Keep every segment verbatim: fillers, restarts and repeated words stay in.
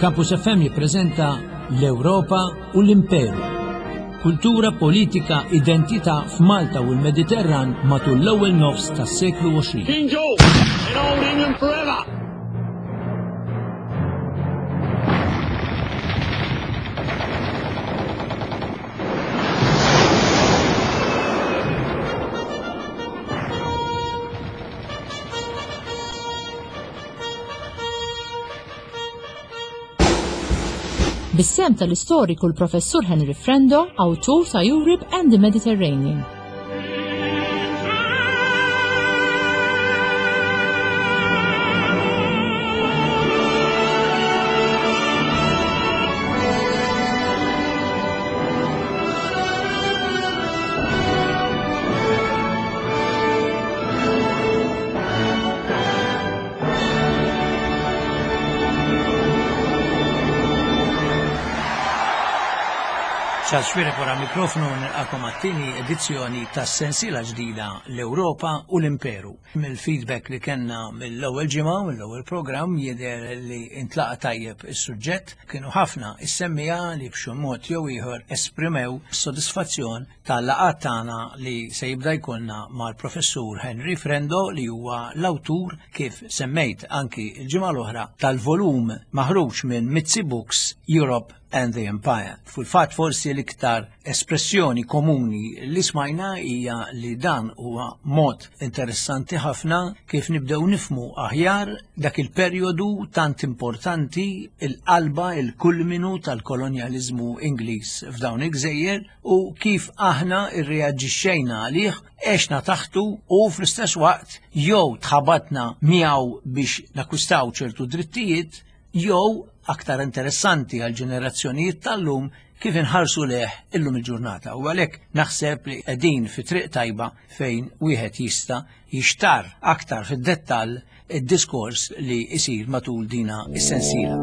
Campus F M jippreżenta L-Ewropa u l-Imperu. Kultura, politika, identità f'Malta u l-Mediterran matul l-ewwel nofs tas-seklu għoxrin. King George in Old England forever! Bis-sehem tal-istoriku l-Professur Henry Frendo, awtur ta' Europe and the Mediterranean. Charles Xuereb wara mikrofonu, nilqagħkom għat-tieni edizzjoni tas sensiela ġdida L-Ewropa u l-Imperu. Mill-feedback li kellna mill-ewwel ġimgħa, mill-ewwel programm, jidher li intlaqa tajjeb is-suġġett. Kienu ħafna is-semmiegħa li b'xi mod jew ieħor esprimew sodisfazzjon tal-laqgħat tagħna li se jibda jkollna mal-Professur Henry Frendo, li huwa l-awtur, kif semmejt anki l-ġimgħa l-oħra, tal-volum maħruġ minn Mitzi Books, Europe and the Empire. Fil-fatt, forsi l-iktar espressjoni komuni li smajna hija li dan huwa mod interessanti ħafna kif nibdew nifhmu aħjar dak il-perjodu tant importanti, il-qalba, il-kulminu tal-kolonjalizmu Ingliż f'dawn il-gżejjer u kif aħna irreaġixxejna għalih, għexna taħtu u fl-istess waqt jew tħabatna miegħu biex nakwistaw ċertu drittijiet jew, aktar interessanti għal ġenerazzjonijiet tal-lum, kif inħarsu lejh illum il-ġurnata. U għalhekk naħseb li qegħdin fi triq tajba fejn wieħed jista' jixtar aktar fid-dettall id-diskors li isir matul dina is-sensiela.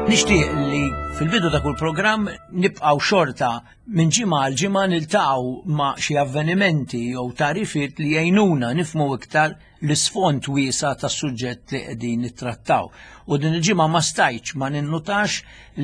Nixtieq li fil-bidu ta' kull programm nibqgħu xorta minn ġimgħa għal ġimgħa niltaqgħu ma' xi avvenimenti jew tagħrifiet li jgħinuna nifhmu iktar l-isfond wiesa' tas-suġġett li qegħdin nittrattaw. U din il-ġimgħa ma stajtx ma ninnutax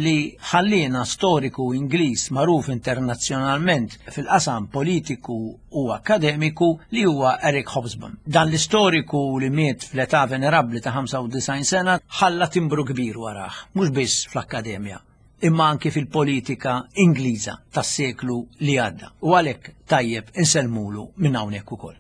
li ħallina storiku Ingliż magħruf internazzjonalment fil-qasam politiku u akademiku, li huwa Eric Hobsbawm. Dan l-istoriku, li miet fl-età venerabbli ta' ħamsa u disgħin sena, ħalla timbru kbir warah, mhux biss fl-akkademja imma anki fil-politika Ingliża tas-seklu li għadda. U għalhekk tajjeb insellmulu minn hawnhekk ukoll.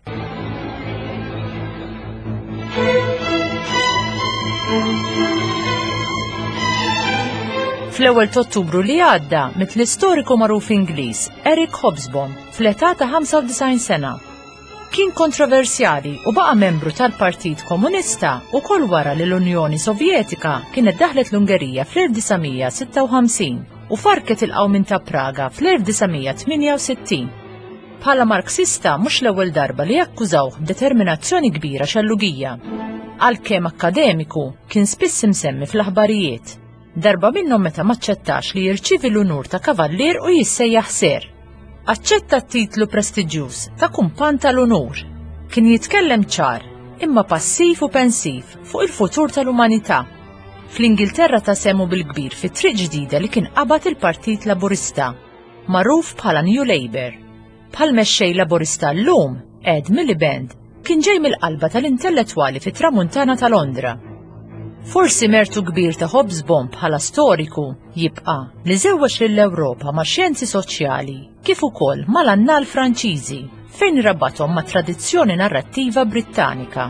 Fl-ewwel Ottubru li għadda miet l-istoriku magħruf Ingliż Eric Hobsbawm fl-età ta' ħamsa u disgħin sena. Kien kontroversjali u baqa' membru tal-Partit Komunista ukoll wara li l-Unjoni Sovjetika kienet daħlet l-Ungerija fl-elf disa' mija sitta u ħamsin u farket il-qawmin ta' Praga fl-elf disa' mija tmienja u sittin. Bħala Marxista, mhux l-ewwel darba li akkużawh b'determinazzjoni kbira xellugija. Għalkemm akkademiku, kien spiss imsemmi fl-aħbarijiet. Darba minnhom meta maċċettax li jirċivi l-unur ta' kavallier u jissejjaħ Sir. Aċċetta t-titlu prestiġjuż ta' kumpan tal-unur. Kien jitkellem ċar, imma passiv u pensiv fuq il-futur tal-umanità. Fl-Ingilterra ta sehmu bil-kbir fit triq ġdida li kien qabad il-Partit Laburista, magħruf bħala New Labour. Bħal mexxej Laburista llum, Ed Miliband, kien ġej mill-qalba tal-intellettwali fit-tramuntana ta' Londra. Forsi mertu kbir ta' Hobsbawm bħala storiku jibqa' li żewweġ lill-Ewropa ma' xjenzi soċjali kif ukoll mal-annal Franċiżi, fejn rabathom ma' tradizzjoni narrattiva Brittanika.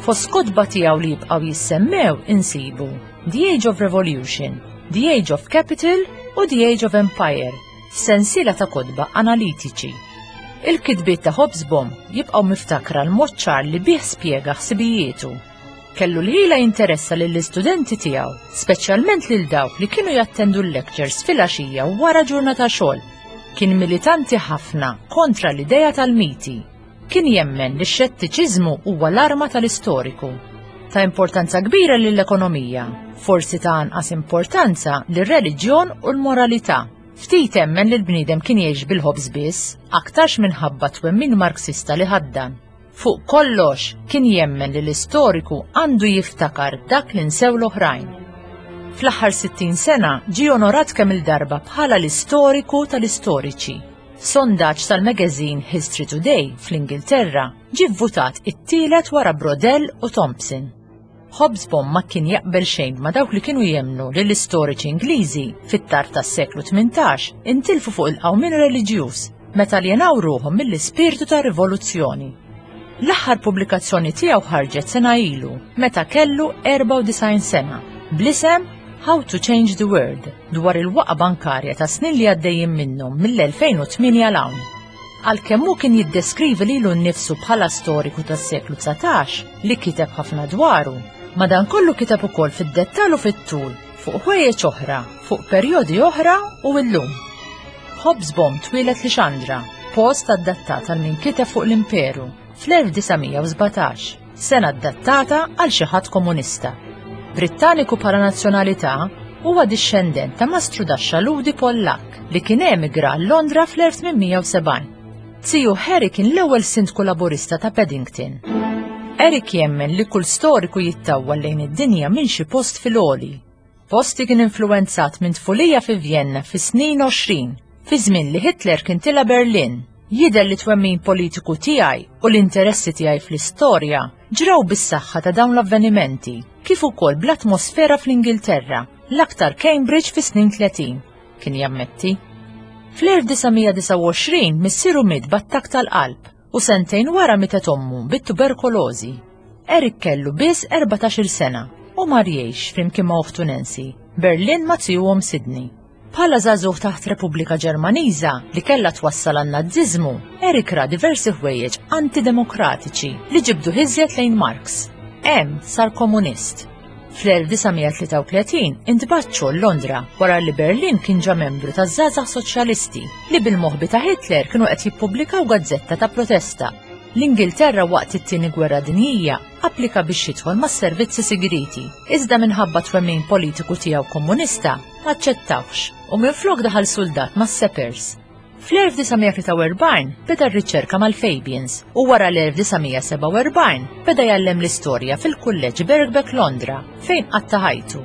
Fost kotba tiegħu li jibqgħu jissemmew insibu The Age of Revolution, The Age of Capital u The Age of Empire, sensiela ta' kotba analitiċi. Il-kitbiet ta' Hobsbawm jibqgħu miftakra l-mod ċar li bih spjega ħsibijietu. Kellu l-ħila jinteressa lill-istudenti tiegħu, speċjalment lil dawk li kienu jattendu l-lectures fil-għaxija wara ġurnata xogħol. Kien militanti ħafna kontra l-ideja tal-miti. Kien jemmen li x-xettiċiżmu huwa l-arma tal-istoriku. Ta' importanza kbira lill-ekonomija, forsi ta' anqas importanza lir-reliġjon u l-moralità. Ftit emmen li l-bniedem kien jgħix bil-ħobż biss, aktarx minħabba twemmin Marxista li ħaddan. Fuq kollox kien jemmen li l-istoriku għandu jiftakar dak li nsew l-oħrajn. Fl-aħħar sittin sena ġie onorat kemm il-darba bħala l-istoriku tal-istoriċi. F'sondaġġ tal-magazine History Today fl-Ingilterra ġie vvutat it-tielet wara Braudel u Thompson. Hobsbawm ma kien jaqbel xejn ma dawk li kienu jemmnu li l-istoriċi Ingliżi fit-tarf tas-seklu tmintax intilfu fuq il-qawmien reliġjuż meta aljenaw ruħhom mill-ispirtu ta' rivoluzzjoni. L-aħħar pubblikazzjoni tiegħu ħarġet sena ilu meta kellu erbgħa u disgħin sena bl-isem How to Change the World dwar il-waqa bankarja ta' snin li għaddejjin minnhom mill-elfejn u tmienja 'l hawn. Għalkemm hu kien jiddeskrivi lilu nnifsu bħala storiku tas-seklu dsatax li kiteb ħafna dwaru, madankollu kiteb ukoll fid-dettall u fit-tul fuq ħwejjeġ oħra, fuq perjodi oħra u llum. Hobsbawm twieled Lixandra, post adattat għal min kiteb fuq l-imperu fl-elf disa' mija u sbatax, sena adattata għal xi ħadd komunista. Brittaniku bħala nazzjonalità, huwa dixxendent ta' mastru daxxa Ludi Pollak li kien emigra għal Londra fl-elf tmien mija u sebgħin. Ziju Harry kien l-ewwel sindku laburista ta' Paddington. Eric jemmen li kull storiku jittawwal lejn id-dinja minn xi post fil-għoli. Post li kien influenzat minn tfulija fi Vienna fi snin għoxrin, fi żmien li Hitler kien tila Berlin. Jidher li twemmin politiku tiegħi u l-interessi tiegħi fl-istorja ġraw bis-saħħa ta' dawn l-avvenimenti, kif ukoll bl-atmosfera fl-Ingilterra, l-aktar Cambridge fi snin tletin, kien jammetti. Fl-elf disa' mija disgħa u għoxrin missieru miet b'attakk tal-qalb u sentejn wara mietet ommu bit-tuberkulożi. Eric kellu biss erbatax-il sena u mar jgħix flimkien ma' oħtu Nancy, Berlin ma' zijuhom Sydney. Bħala żagħżugħ taħt Repubblika Ġermaniża li kellha twassal għan-Naziżmu, Eric ra diversi ħwejjeġ antidemokratiċi li ġibdu ħiżjet lejn Marx. Hemm sar komunist. Fl-elf disa' mija tlieta u tletin intbagħat xogħol Londra wara li Berlin kien ġa membru taż-żgħażagħ soċjalisti li bil-moħbi ta' Hitler kienu qed jippubblikaw gazzetta ta' protesta. L-Ingilterra waqt it-tieni gwerra dinjija applika biex jidħol mas-servizzi segreti, iżda minħabba twemmin politiku tiegħu komunista aċċettawx u minflok daħal soldat mas-Sappers. Fl-elf disa' mija tlieta u erbgħin beda r-riċerka mal-Fabians u wara l-elf disa' mija sebgħa u erbgħin beda jgħallem l-istorja fil-Kulleġġ Birkbeck Londra fejn qatta' ħajtu.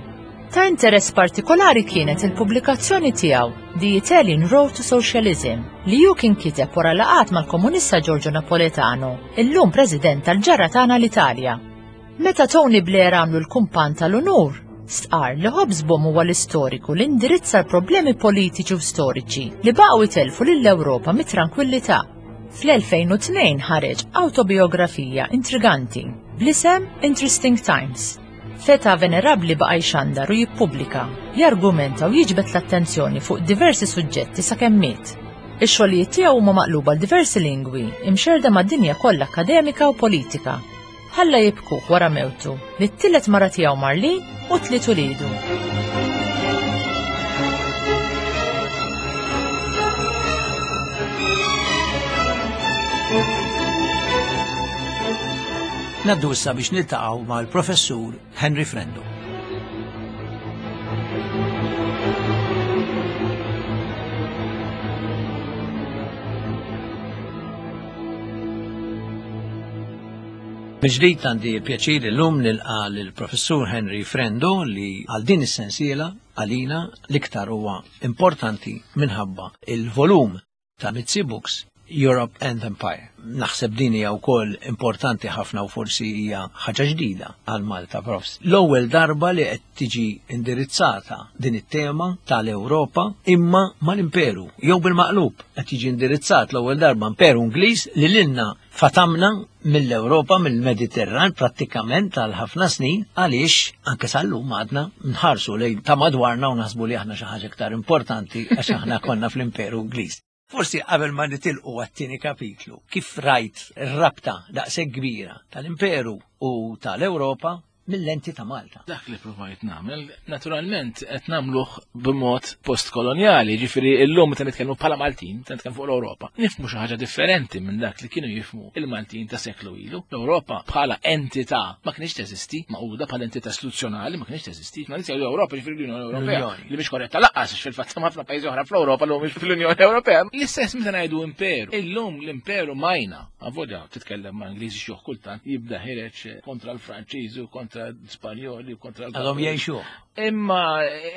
Ta' interess partikolari kienet il-pubblikazzjoni tiegħu The Italian Road to Socialism li hu kien kiteb wara laqgħat mal-komunista Giorgio Napolitano, illum president tal-ġara tagħna l-Italja. Meta Tony Blair għamlu l-kumpan tal-unur, stqarr li Hobsbawm huwa l-istoriku li indirizza l-problemi politiċi u storiċi li baqgħu jtelfu lill-Ewropa mit-tranquillità. Fl-elfejn u tnejn ħareġ autobiografija intriganti bl-isem Interesting Times. Feta venerabli baqa' jxandar u jippubblika, jargumenta u jiġbed l-attenzjoni fuq diversi suġġetti sakemm miet. Ix-xogħlijiet tiegħu huma maqluba għal diversi lingwi, imxerda mad-dinja kollha akademika u politika. Ħalla jibkuh wara mewtu li t-tielet mara tiegħu Marlene u tliet uliedu. Naddu issa biex niltaqgħu mal-Professur Henry Frendo. Mill-ġdid għandi l-pjaċir illum nilqa' lill-Professur Henry Frendo li għal din is-sensiela għalina l-iktar huwa importanti minħabba il-volum ta' Mizzi Books Europe and Empire. Naħseb din hija wkoll importanti ħafna u forsi hija ħaġa ġdida għal Malta Profs. L-ewwel darba li qed tiġi indirizzata din it-tema tal-Ewropa imma mal-Imperu, jew bil-maqlub qed jiġi indirizzat l-ewwel darba Imperu Ingliż li lilna fatamna mill-Ewropa, mill-Mediterran prattikament għal ħafna snin, għaliex anke sal-lum għadna nħarsu lejn ta' madwarna u naħsbu li aħna xi ħaġa iktar importanti għax aħna konna fl-Imperu Ingliż. Forsi qabel ma nitilqu għat-tieni kapitlu, kif rajt ir-rabta daqshekk kbira tal-Imperu u tal-Ewropa mill-lenti ta' Malta. Dak li provajt nagħmel, naturalment qed nagħmluh b'mod postkoloniali, ġifieri llum meta nitkellmu bħala Maltin, meta nitkellmu fuq l-Ewropa, nifhmu xi ħaġa differenti minn dak li kienu jifhmu il-Maltin ta' seklu ilu. L-Ewropa bħala entità ma kienx teżisti, maquda bħala entità istituzzjonali ma kienx teżisti. Ma nistgħu l-Ewropa ġifieri l-Unjoni Ewropea li mhix korretta laqqas fil-fatt ħafna pajjiżi oħra fl-Ewropa li mhumiex fl-Unjoni Ewropea. L-istess meta ngħidu imperu. Illum l-imperu majna, avolja titkellem ma' Ingliżi xi kultant jibda ħireġ kontra l-Franċiżi u kontra l-Spanjoli u kontra l Għadhom jgħixu. Imma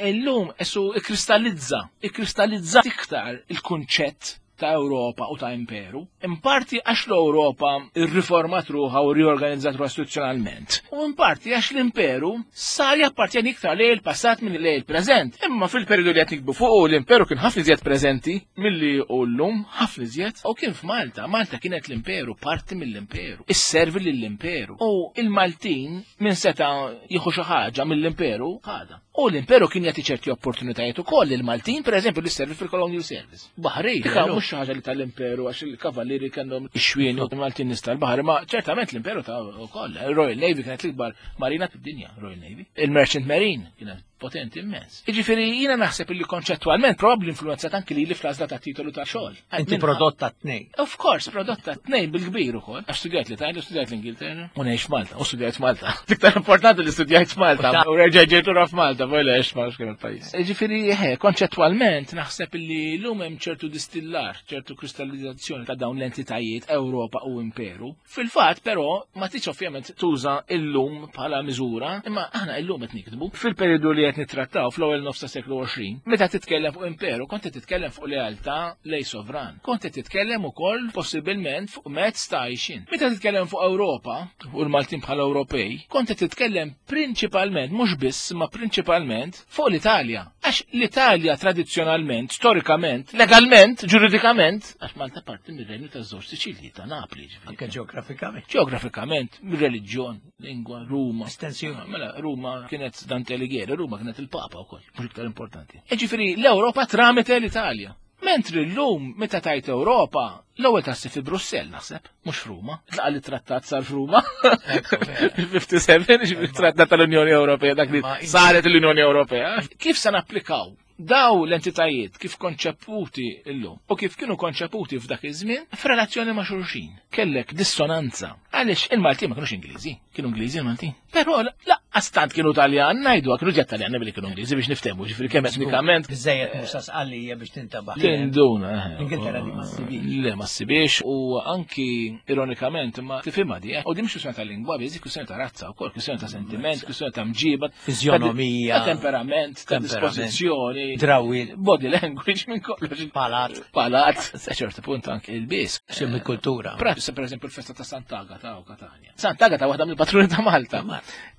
illum esu ikkristallizza, ikkristallizza iktar il-kunċett ta' Ewropa u ta' imperu. In parti għax l-Ewropa irriformat ruħha u riorganizzat ruħha istituzzjonalment. U in parti għax l-imperu sar jappartjeni iktar lejn il-passat minn lejn il-preżent. Imma fil-periodu li qed nikbu fuq l-imperu kien ħafna iżjed preżenti milli hu llum, ħafna iżjed. U kien f'Malta, Malta kienet l-imperu, parti mill-imperu. Isservi lill-imperu. U il-Maltin minn seta' jieħu xi ħaġa mill-imperu ħadha. U l-imperu kien jagħti ċerti opportunitajiet ukoll lill-Maltin, pereżempju, li servi fil-Colonial Service. Baħri, mhux xi ħaġa li tal-imperu għax il-kavallieri kellhom ix-xwien u l-Maltin nies tal-baħar, ma ċertament l-imperu ta' ukoll. Il-Royal Navy kienet l-ikbar marina fid-dinja, Royal Navy. Il-Merchant Marine kienet potenti immens. Jiġifieri jiena naħseb illi konċettwalment probabbli influenzat anki li fl-għażla ta' titolu ta' xogħol. Inti prodotta tnejn. Of course, prodotta tnejn bil-kbir ukoll. Għax studjajt l-Italja, studjajt l-Ingilterra, u ngħix Malta, u studjajt Malta. Iktar importanti li studjajt Malta, u reġa' ġejt lura f'Malta, vola għex ma kien il-pajjiż. Jiġifieri eħe, konċettwalment naħseb illi llum hemm ċertu distillar, ċertu kristallizzazzjoni ta' dawn l-entitajiet Ewropa u Imperu. Fil-fatt però ma tridx ovvjament tuża illum bħala miżura, imma aħna illum qed nikdbu. Fil-periodu li qed nittrattaw fl-ewwel nofs ta' seklu għoxrin, meta titkellem fuq imperu, kont qed titkellem fuq lealtà lej sovran. Kont qed titkellem ukoll possibilment fuq mezz ta' għajxin. Meta titkellem fuq Ewropa u l-Maltin bħala Ewropej, kont qed titkellem prinċipalment, mhux biss, ma prinċipalment fuq l-Italja. Għax l-Italja tradizzjonalment, storikament, legalment, ġuridikament, għax Malta parti mir-Renju taż-żewġ Siċilji ta' Napli, ġifieri. Anke ġeografikament. Ġeografikament, mir-reliġjon, lingwa, Ruma. Estensjoni. Mela, Ruma kienet Dante Alighieri, Ruma kienet il-Papa wkoll, mhux iktar importanti. Jiġifieri l-Ewropa tramite l-Italja. Mentri llum meta tajt Ewropa, l-ewwel tassi fi Brussell naħseb, mhux f'Ruma. Tlaqa li trattat sar f'Ruma. ħamsa u ħamsin, ġifieri trattat tal-Unjoni Ewropea, dak li saret l-Unjoni Ewropea. Kif se napplikaw daw l-entitajiet kif konċeputi llum u kif kienu konċeputi f'dak iż-żmien f'relazzjoni ma' xulxin? Kellek dissonanza. Għaliex il-Maltin ma kinux Ingliżi, kienu Ingliżi il-Maltin. Però laqqas tant kienu Taljan, ngħidu kienu ġed Taljan billi kienu Ingliżi biex niftehmu, ġifieri kemm etnikament. Biżejjed Musa Sqallija biex tintabaħ. Tinduna. L-Ingilterra di ma ssibix. Le, ma ssibix u anki ironikament ma tifhimha di. U di mhux kwistjoni ta' lingwa, biżi kwistjoni ta' razza wkoll, kwistjoni ta' sentiment, kwistjoni ta' mġiba, Fiżjonomija, ta' temperament, ta' dispożizzjoni, drawi, body language minn kollox. Palat. Palat. Sa ċertu punt anke il-bis. Semmi kultura. Pra, per eżempju, il-festa ta' Sant'Agata u Katania. Sant'Agata waħda mill-patruni ta' Malta.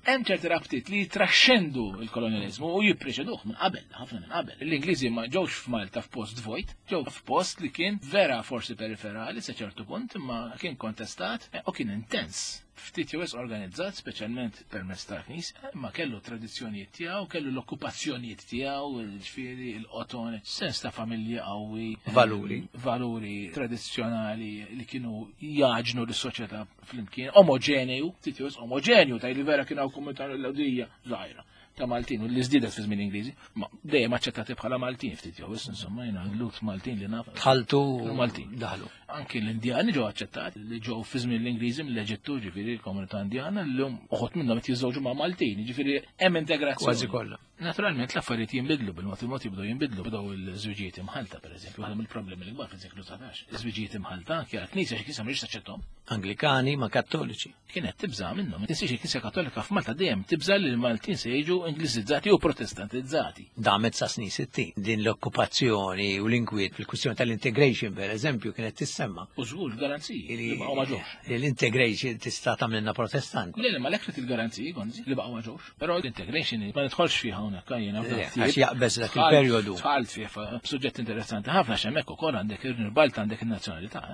Hemm ċerti rabtiet li jitraxxendu il-kolonializmu u jippreċeduh minn qabel, ħafna minn qabel. L-Ingliżi ma ġewx f'Malta f'post vojt, ġew f'post li kien vera forsi periferali sa ċertu punt, imma kien kontestat u kien intens. Ftit jew organizzat, speċjalment permezz tal-Knisja, imma kellu tradizzjonijiet tiegħu, kellu l-okkupazzjonijiet tiegħu, ġifieri il-qoton, sens ta' familja qawwi, Valuri. Valuri tradizzjonali li kienu jaġnu l-soċjetà flimkien, omogenju, ftit jew omogenju, taj li vera kien hawn komunità l-Lhudija żgħira ta' Maltin, u li żdiedet fi żmien Ingliżi, ma dejjem aċċettati bħala Maltin ftit jew insomma jiena Lhud Maltin li naf. Tħaltu Maltin. Daħlu. Anki l-Indjani ġew aċċettati li ġew fi żmien l-Ingliżi mill-Eġittu, ġifieri l-komunità Indjana llum uħud minnhom qed jiżżewġu ma' Maltin, ġifieri hemm integrazzjoni. Kważi kollha. Naturalment l-affarijiet jinbidlu bil-mod il-mod jibdew jinbidlu, bdew il-żwiġijiet imħalta pereżempju, waħda mill-problemi l-kbar fis-seklu dsatax. Iż-żwiġijiet imħalta anke għall-Knisja xi Knisja mhix taċċettahom. Anglikani ma' Kattoliċi. Kienet tibża' minnhom. Tinsiex il-Knisja Kattolika f'Malta dejjem tibża' li l-Maltin se jiġu Ingliżizzati u Protestantizzati. Damet sa snin sittin. Din l-okkupazzjoni u l-inkwiet fil-kwistjoni tal-integration per eżempju kienet tissemma. U żgur garanziji li baqgħu ma ġewx. Li l-integration tista' tagħmilna Protestant. Le, le, ma l il-garanziji gonzi li baqgħu ma ġewx. Però l-integration ma nidħolx fiha hawnhekk jiena. Għax jaqbeż dak il-perjodu. Dħalt fih suġġett interessanti ħafna x'hemmhekk ukoll għandek il-Balta għandek in-nazzjonalità.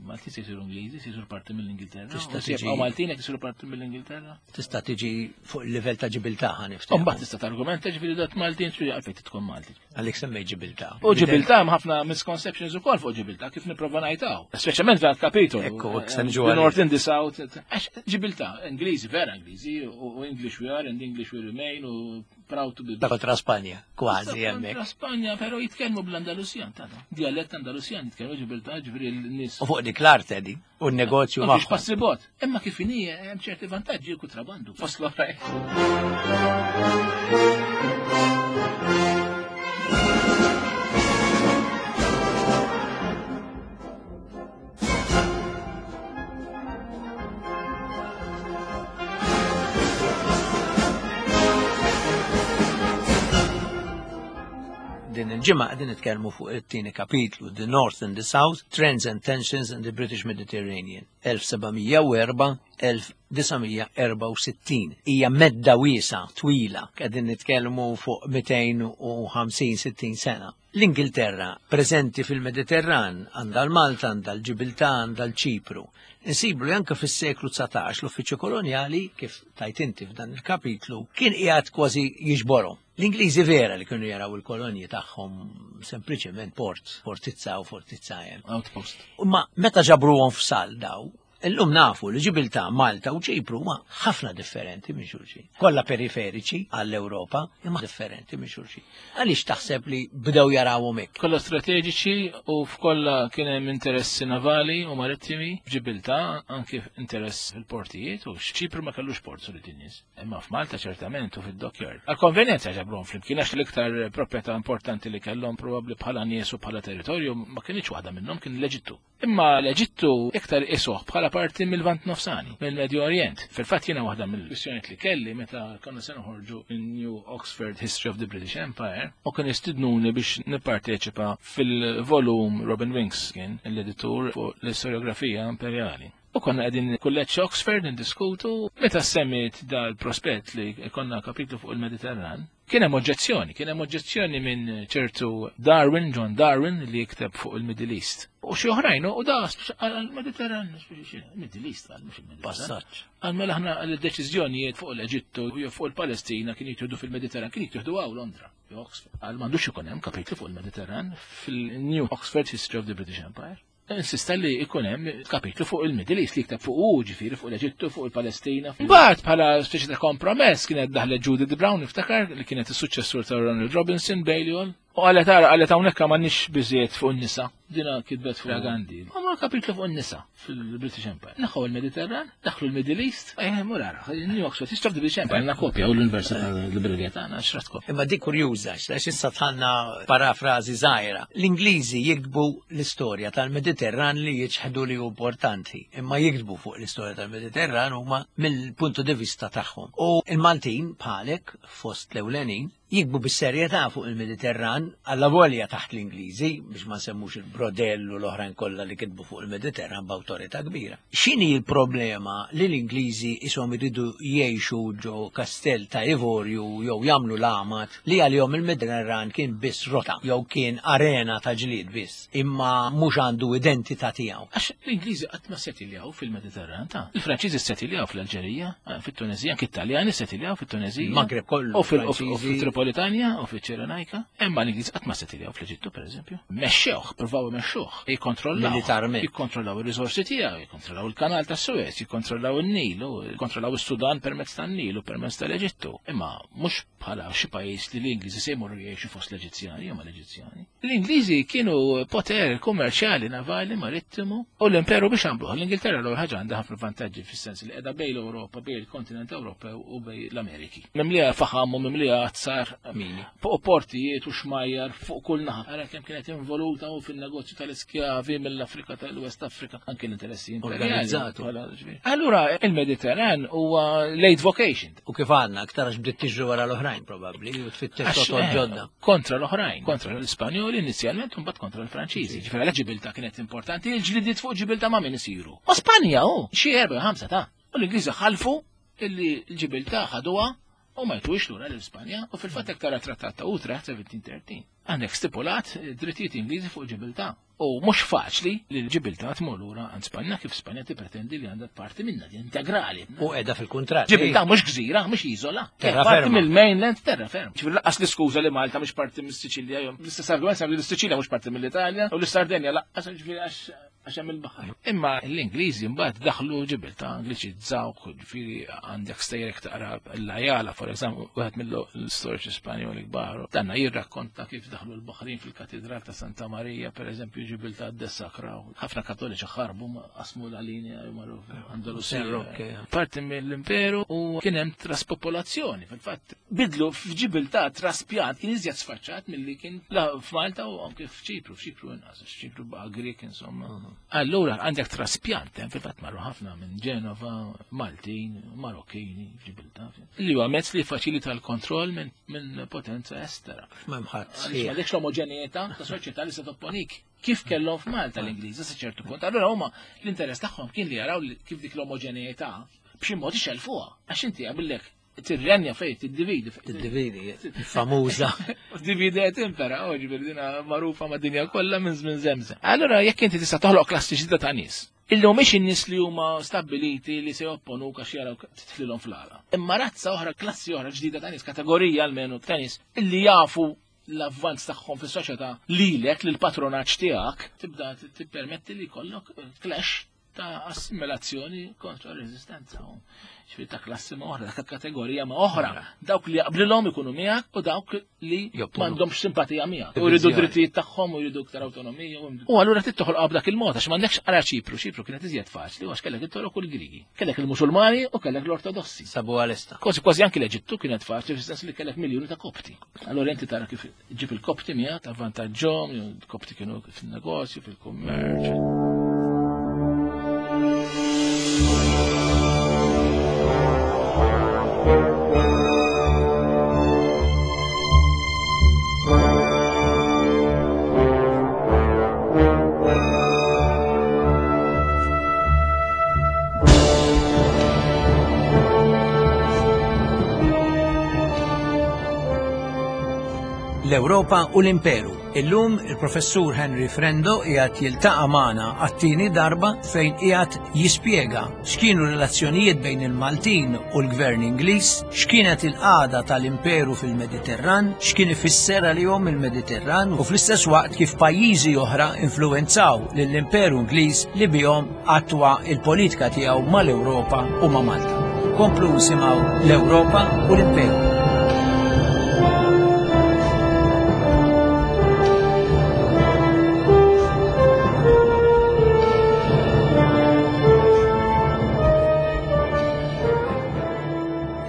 Maltin se jsiru Ingliżi, se jsiru parti mill-Ingilterra. Tista' U se tiġi- jibqgħu Maltin jekk isiru parti mill-Ingilterra. Tista' tiġi fuq il-livell ta' Ġibiltà ħa niftehmu. Mbagħad tista' targumenta ġifieri dat Maltin xi għalfejn tkun Malti. Għalik semmej Ġibiltà. U Ġibiltà hemm ħafna misconceptions ukoll fuq Ġibiltà kif nipprova ngħidaw. Speċjalment f'dan kapitolu. Ekku, hekk se niġu The għalih. North and the South. Għax Ġibiltà, Ingliżi, vera Ingliżi, u English we are and English we remain u proud to be Ta' kontra Spanja, kważi hemmhekk. Kontra Spanja, però jitkellmu bl-Andalusjan, ta' Dialett Andalusjan jitkellmu Ġibiltà, ġifieri l-nies. U fuq dik l-art edi, u n-negozju Ma fiex magħhom. passi bot. Imma kif inhi hemm ċerti vantaġġi kontrabandu. Fost l-oħrajn. Din il-ġimgħa qegħdin nitkellmu fuq it-tieni kapitlu, The North and the South, Trends and Tensions in the British Mediterranean, elf seba' mija u erbgħa elf disa' mija erbgħa u sittin. Hija medda wiesgħa twila, qegħdin nitkellmu fuq mitejn u ħamsin sittin sena. L-Ingilterra preżenti fil-Mediterran għandha l-Malta, għandha l-Ġibiltà, għandha l-Ċipru. Insibu li anke fis-seklu dsatax l-uffiċċju kolonjali, kif tajt inti f'dan il-kapitlu, kien qiegħed kważi jiġborhom. L-Ingliżi vera li kienu jaraw il-kolonji tagħhom sempliċement port, fortizza u fortizza hemm. Outpost. Ma meta ġabruhom f'sal daw, illum nafu li Ġibiltà, Malta u Ċipru huma ħafna differenti minn xulxin. Kollha periferiċi għall-Ewropa, imma differenti minn xulxin. Għaliex taħseb li bdew jarawhom hekk? Kollha strateġiċi u f'kollha kien hemm interessi navali u marittimi. F'Ġibiltà anke interess fil-portijiet u x'Ċipru ma kellux port sulit in-nies. Imma f'Malta ċertament u fid-dockyard. Għal-konvenjenza ġabruhom flimkien għax l-iktar proprjetà importanti li kellhom probabbli bħala nies u bħala territorju ma kienx waħda minnhom, kien l-Eġittu. Imma l-Eġittu iktar isuh bħala parti mill-Lvant Nofsani, mill-Medju Orient. Fil-fatt jiena waħda mill-kwistjonijiet li kelli meta konna se noħorġu in-New Oxford History of the British Empire u kien istidnuni biex nipparteċipa fil-volum, Robin Winks kien l-editur, fuq l-istoriografija imperjali. U konna qegħdin kulleġġ Oxford ndiskutu meta semmit dal-prospett li konna kapitlu fuq il-Mediterran. Kien hemm oġġezzjoni, kien hemm oġġezzjoni minn ċertu Darwin, John Darwin, li jikteb fuq il-Middle East. U xi oħrajn, u da għal-Mediterran, Middle East, għal mhux il-Mediterran. Passaġġ. Għal mela aħna l-deċiżjonijiet fuq l-Eġittu u fuq il-Palestina kien jittieħdu fil-Mediterran, kien jittieħdu hawn Londra, jew Oxford. Għal m'għandux ikun hemm kapitlu fuq il-Mediterran fil-New Oxford History of the British Empire. Insista li ikun hemm kapitlu fuq il-Middle East li jikteb fuq u ġifieri fuq l-Eġittu, fuq il-Palestina. Mbagħad bħala speċi ta' kompromess kienet daħlet Judith Brown, niftakar, li kienet is-suċċessur ta' Ronald Robinson, Balliol. U qalet ara, qalet hawnhekk m'għandniex biżejjed fuq in-nisa. Dina kitbet fuq Gandhi. Għamlu kapitlu fuq in-nisa fil-British Empire. Neħħu il-Mediterran, daħlu l-Middle East, eh, mur ara, New Oxford History of the British Empire, għandna kopja u l-Università Librerija tagħna xrat kopja. Imma dik kurjuża, għax issa tħanna parafrażi żgħira. L-Ingliżi jiktbu l-istorja tal-Mediterran li jiċħdu li hu importanti, imma jiktbu fuq l-istorja tal-Mediterran huma mill-puntu di vista tagħhom. U il-Maltin bħalek fost l-ewlenin jiktbu bis-serjetà fuq il-Mediterran alla volja taħt l-Ingliżi, biex ma nsemmux il-Brodell u l-oħrajn kollha li kitbu fuq il-Mediterran b'awtorità kbira. X'inhi l-problema li l-Ingliżi ishom iridu jgħixu ġo kastell ta' Ivorju jew jagħmlu l-għamad li għalihom il-Mediterran kien biss rota jew kien arena ta' ġlied biss, imma mhux għandu identità tiegħu? Għax l-Ingliżi qatt ma settiljaw fil-Mediterran ta' Il-Franċiżi settiljaw fl-Alġerija, fit-Tunezija, anke Italjani settiljaw fit-Tunezija. Il-Maghreb kollu, U fil- u fil- u Franċiżi. fil-Tripolitanja u fil-Ċirenajka. Imma l-Ingliżi qatt ma settiljaw fl-Eġittu, pereżempju. Mexxewh, provaw imexxuh, jikkontrollaw. Militarment. Jikkontrollaw ir-riżorsi tiegħu, jikkontrollaw il-kanal ta' Suez, jikkontrollaw in-Nil, u jikkontrollaw is-Sudan permezz tan-Nil u permezz tal-Eġittu. Imma mhux bħala xi pajjiż li l-Ingliżi se jmorru jgħixu fost l-Eġizzjani jew mal-Eġizzjani. L-Ingliżi kienu poter kummerċjali, navali, marittimu u l-imperu biex għamluh. L-Ingilterra l ħaġa għandha ħafna vantaġġi fis-sens li qiegħda bejn l-Ewropa, bejn il-kontinent Ewropew u bejn l-Ameriki. Mimlija faħam u mimlija azzar Mini. fuq portijiet u xmajjar fuq kull naħa. Ara kemm kienet involuta u fil-negozju tal-iskjavi mill-Afrika tal-West Africa, anke l-interessi imperjali. Organizzatu. Bħala ġifieri. Allura il-Mediterran huwa late vocation. U kif għandna, aktar għax bdiet tiġri wara l-oħrajn probabbli u tfittex Għax, rotot eh, ġodda. Kontra l-oħrajn, kontra l-Ispanjoli inizjalment u mbagħad kontra l-Franċiżi. Ġifieri għalhekk Ġibilta kienet importanti, il-ġlidiet fuq Ġibilta ma' min isiru. Ma Spanja hu, xi erba' ħamsa ta' U l-Ingliżi ħalfu illi l-Ġibilta ħaduha U ma jtuhiex lura lil Spanja u fil-fatt hekk tara trattat ta' Utrecht seventeen thirteen. Għandek stipulat drittijiet Ingliżi fuq Ġibiltà. U mhux faċli li l-Ġibiltà tmur lura għand Spanja kif Spanja tippretendi li għandha parti minnha di integrali. U qiegħda fil-kuntratt. Ġibiltà mhux gżira, mhux iżola. Terra Parti ferma. mill-mainland terra ferma. Ġifieri lanqas l-iskuża li Malta mhux parti mis-Siċilja, jew l-istess argument li l-Siċilja mhux parti mill-Italja u l-Sardenja lanqas, ġifieri għax għax hemm il-baħar. Imma l-Ingliżi mbagħad daħlu Ġibiltà, Angliċizzaw, ġifieri għandek stejrek taqra l-Ajala, for example, wieħed mill-istoriċi Spanjoli kbar. Danna jirrakkonta kif daħlu l-Baħrin fil-Katedral ta' Santa Marija, per eżempju, Ġibiltà ddessakraw. Ħafna Kattoliċi ħarbu, qasmu la linja jew marru Andalusija. San Roque. Parti mill-imperu u kien hemm traspopolazzjoni, fil-fatt. Bidlu f'Ġibiltà traspjant kien iżjed sfaċċat milli kien la f'Malta u anke f'Ċipru, f'Ċipru inqas, f'Ċipru baqa' Grek insomma. Allura għandek traspjant, hemm fil-fatt marru ħafna minn Ġenova, Maltin, Marokkini, Ġibiltà. Li huwa mezz li faċilita l-kontroll minn, minn potenza estera. M'hemm ħadd Għaliex sħiħ. m'għandekx l-omoġenjetà ta' soċjetà li se topponik. Kif kellhom f'Malta l-Ingliżi sa ċertu punt. Allura huma l-interess tagħhom kien li jaraw li kif dik l-omoġenjetà b'xi mod ixelfuha. Għax inti qabillek tirrenja fejn tiddividi. Tiddividi, famuża. Divide et impera, oh, ġifieri dina magħrufa mad-dinja kollha minn żmien żemżem. Allura jekk inti tista' toħloq klassi ġdida ta' nies, illi mhumiex in-nies li huma stabbiliti li se jopponuk għax jaraw titflilhom fl-għala. Imma razza oħra, klassi oħra ġdida ta' nies, kategorija almenu ta' nies, illi jafu l-avvanz tagħhom fis-soċjetà lilek, lill-patronaġġ tiegħek, tibda tippermetti li jkollok clash ta' assimilazzjoni kontra r-reżistenza. Ġifieri ta' klassi ma' oħra, ta' kategorija ma' oħra. Dawk li jaqblilhom ikunu miegħek u dawk li Jopponu. m'għandhomx simpatija miegħek. U jridu Divizjoni. drittijiet tagħhom u jridu iktar awtonomija. U allura trid toħolqha b'dak il-mod għax m'għandekx ara Ċipru. Ċipru kienet iżjed faċli għax kellek it-Torok u l-Grigi. Kellek il-Musulmani u kellek l-Ortodossi. Sabu għal-esta. Kważi kważi anki l-Eġittu kienet faċli fis-sens li kellek miljuni ta' Kopti. Allura inti tara kif ġib il-Kopti miegħek avvantaġġhom, il-Kopti kienu fin-negozju, fil-kummerċ. L-Ewropa u l-Imperu. Illum il-professur Henry Frendo qiegħed jiltaqa' magħna għat-tieni darba fejn qiegħed jispjega x'kienu relazzjonijiet bejn il-Maltin u l-Gvern Ingliż, x'kienet il-qagħda tal-Imperu fil-Mediterran, x'kien ifisser għalihom il-Mediterran u fl-istess waqt kif pajjiżi oħra influwenzaw lill-Imperu Ingliż li bihom attwa il-politika tiegħu mal-Ewropa u ma' Malta. Komplu nisimgħu l-Ewropa u l-Imperu.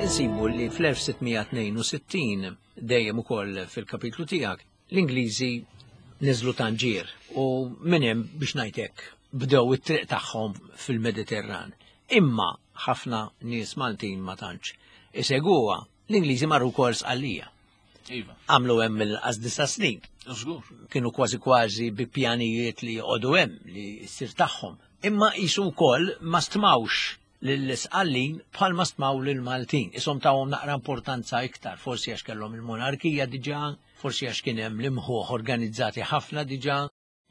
Insibu li fl-elf sitt mija tnejn u sittin dejjem ukoll fil-kapitlu tiegħek l-Ingliżi niżlu Tanġier u minn hemm biex ngħidlek bdew it-triq tagħhom fil-Mediterran. Imma ħafna nies Maltin ma tantx iseguha, l-Ingliżi marru wkoll Sqallija. Iva. Għamlu hemm mill-qas disa' snin. Żgur. Kienu kważi kważi bi pjanijiet li joqogħdu hemm li ssir tagħhom. Imma qisu wkoll ma stmawx lill-Sqallin bħalma stmaw lill-Maltin. Isom tawhom naqra importanza iktar, forsi għax kellhom il-monarkija diġà, forsi għax kien hemm l-imħuħ organizzati ħafna diġà,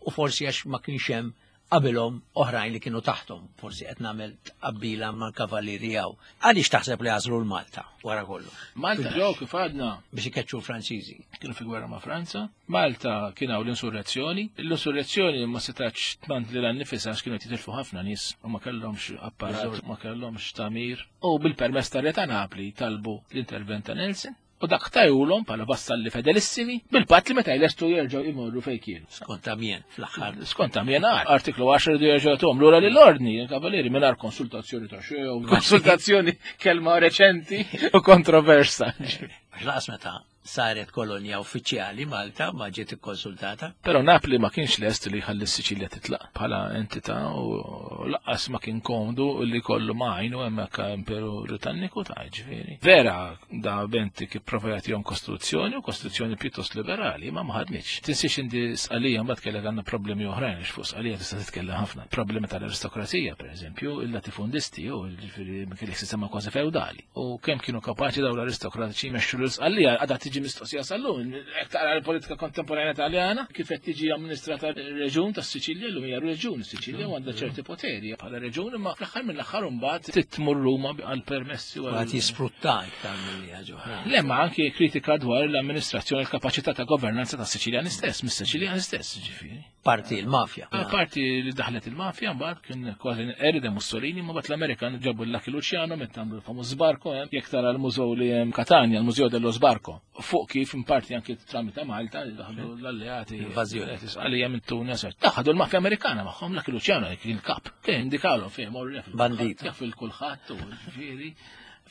u forsi għax ma kienx hemm qabilhom oħrajn li kienu taħtom, forsi qed nagħmel tqabbila mal-kavallieri hawn. Għaliex taħseb li għażlu l-Malta wara kollox? Malta ġew kif għadna biex ikeċċu l-Franċiżi. Kienu fi gwerra ma' Franza. Malta kien hawn l-insurrezzjoni. L-insurrezzjoni ma setax tmant lilha nnifisha għax kienu jitilfu ħafna nies u ma kellhomx apparat, ma kellhomx tamir. U bil-permess tar-Re ta' Napli talbu l-intervent ta' Nelson. U dak tajulhom bħala vassalli fedelissimi bil-patt li meta jlestu jerġgħu jmorru fejn kienu. Skont Amiens fl-aħħar. Skont Amiens artiklu għaxra jridu jerġgħu jagħtuhom lura lill-ordni, il-kavalieri mingħajr konsultazzjoni ta' xejn, konsultazzjoni kelma reċenti u kontroversa. Għax laqas meta saret kolonja uffiċjali Malta, ma ġiet ikkonsultata. Però Napli ma kienx lest li jħalli s-Siċilja titlaq bħala entità u lanqas ma kien komdu li kollu majnu hemmhekk Imperu Britanniku ta' ġifieri. Vera da Bentinck ipprova jagħtihom kostituzzjoni u kostituzzjoni pjuttost liberali, ma ma ħadmitx. Tinsiex inti Sqalija mbagħad kellek għandna problemi oħrajn għax fuq Sqalija tista' titkellem ħafna. Problemi tal-aristokrazija, pereżempju, il-latifundisti u ġifieri kellek sistema kważi feudali. U kemm kienu kapaċi dawn l-aristokratiċi jmexxu l-Sqalija għadha tiġi mistoqsija sal-lum. Jekk taqra l-politika kontemporanja Taljana, kif qed tiġi amministrata r-reġun tas-Siċilja, llum hija reġun Siċilja u għandha ċerti poteri bħala reġun, imma fl-aħħar mill-aħħar imbagħad titmur Ruma għal permessi u għad jisfrutta iktar milli ħaġa oħra. Le, ma anki kritika dwar l-amministrazzjoni, l-kapaċità ta' governanza tas-Siċiljani stess, mis-Siċiljani stess, ġifieri. Parti l-mafja. Parti li daħlet il-mafja, mbagħad kien kważi erida Mussolini, ma mbagħad l-Amerikan ġabu l-Lucky Luciano meta għamlu l-famuż Sbarco, jekk tara l-mużew li hemm Katanja, l-Mużew dello Sbarco. Fuq kif in parti anki tramite Malta daħlu l-alleati. Invażjoni. Għalija minn Tunis. Daħlu l-mafja Amerikana magħhom, Lucky Luciano kien il-kap. Kien indikalhom fejn morru jaf. Bandit. Jaf il-kulħadd u ġifieri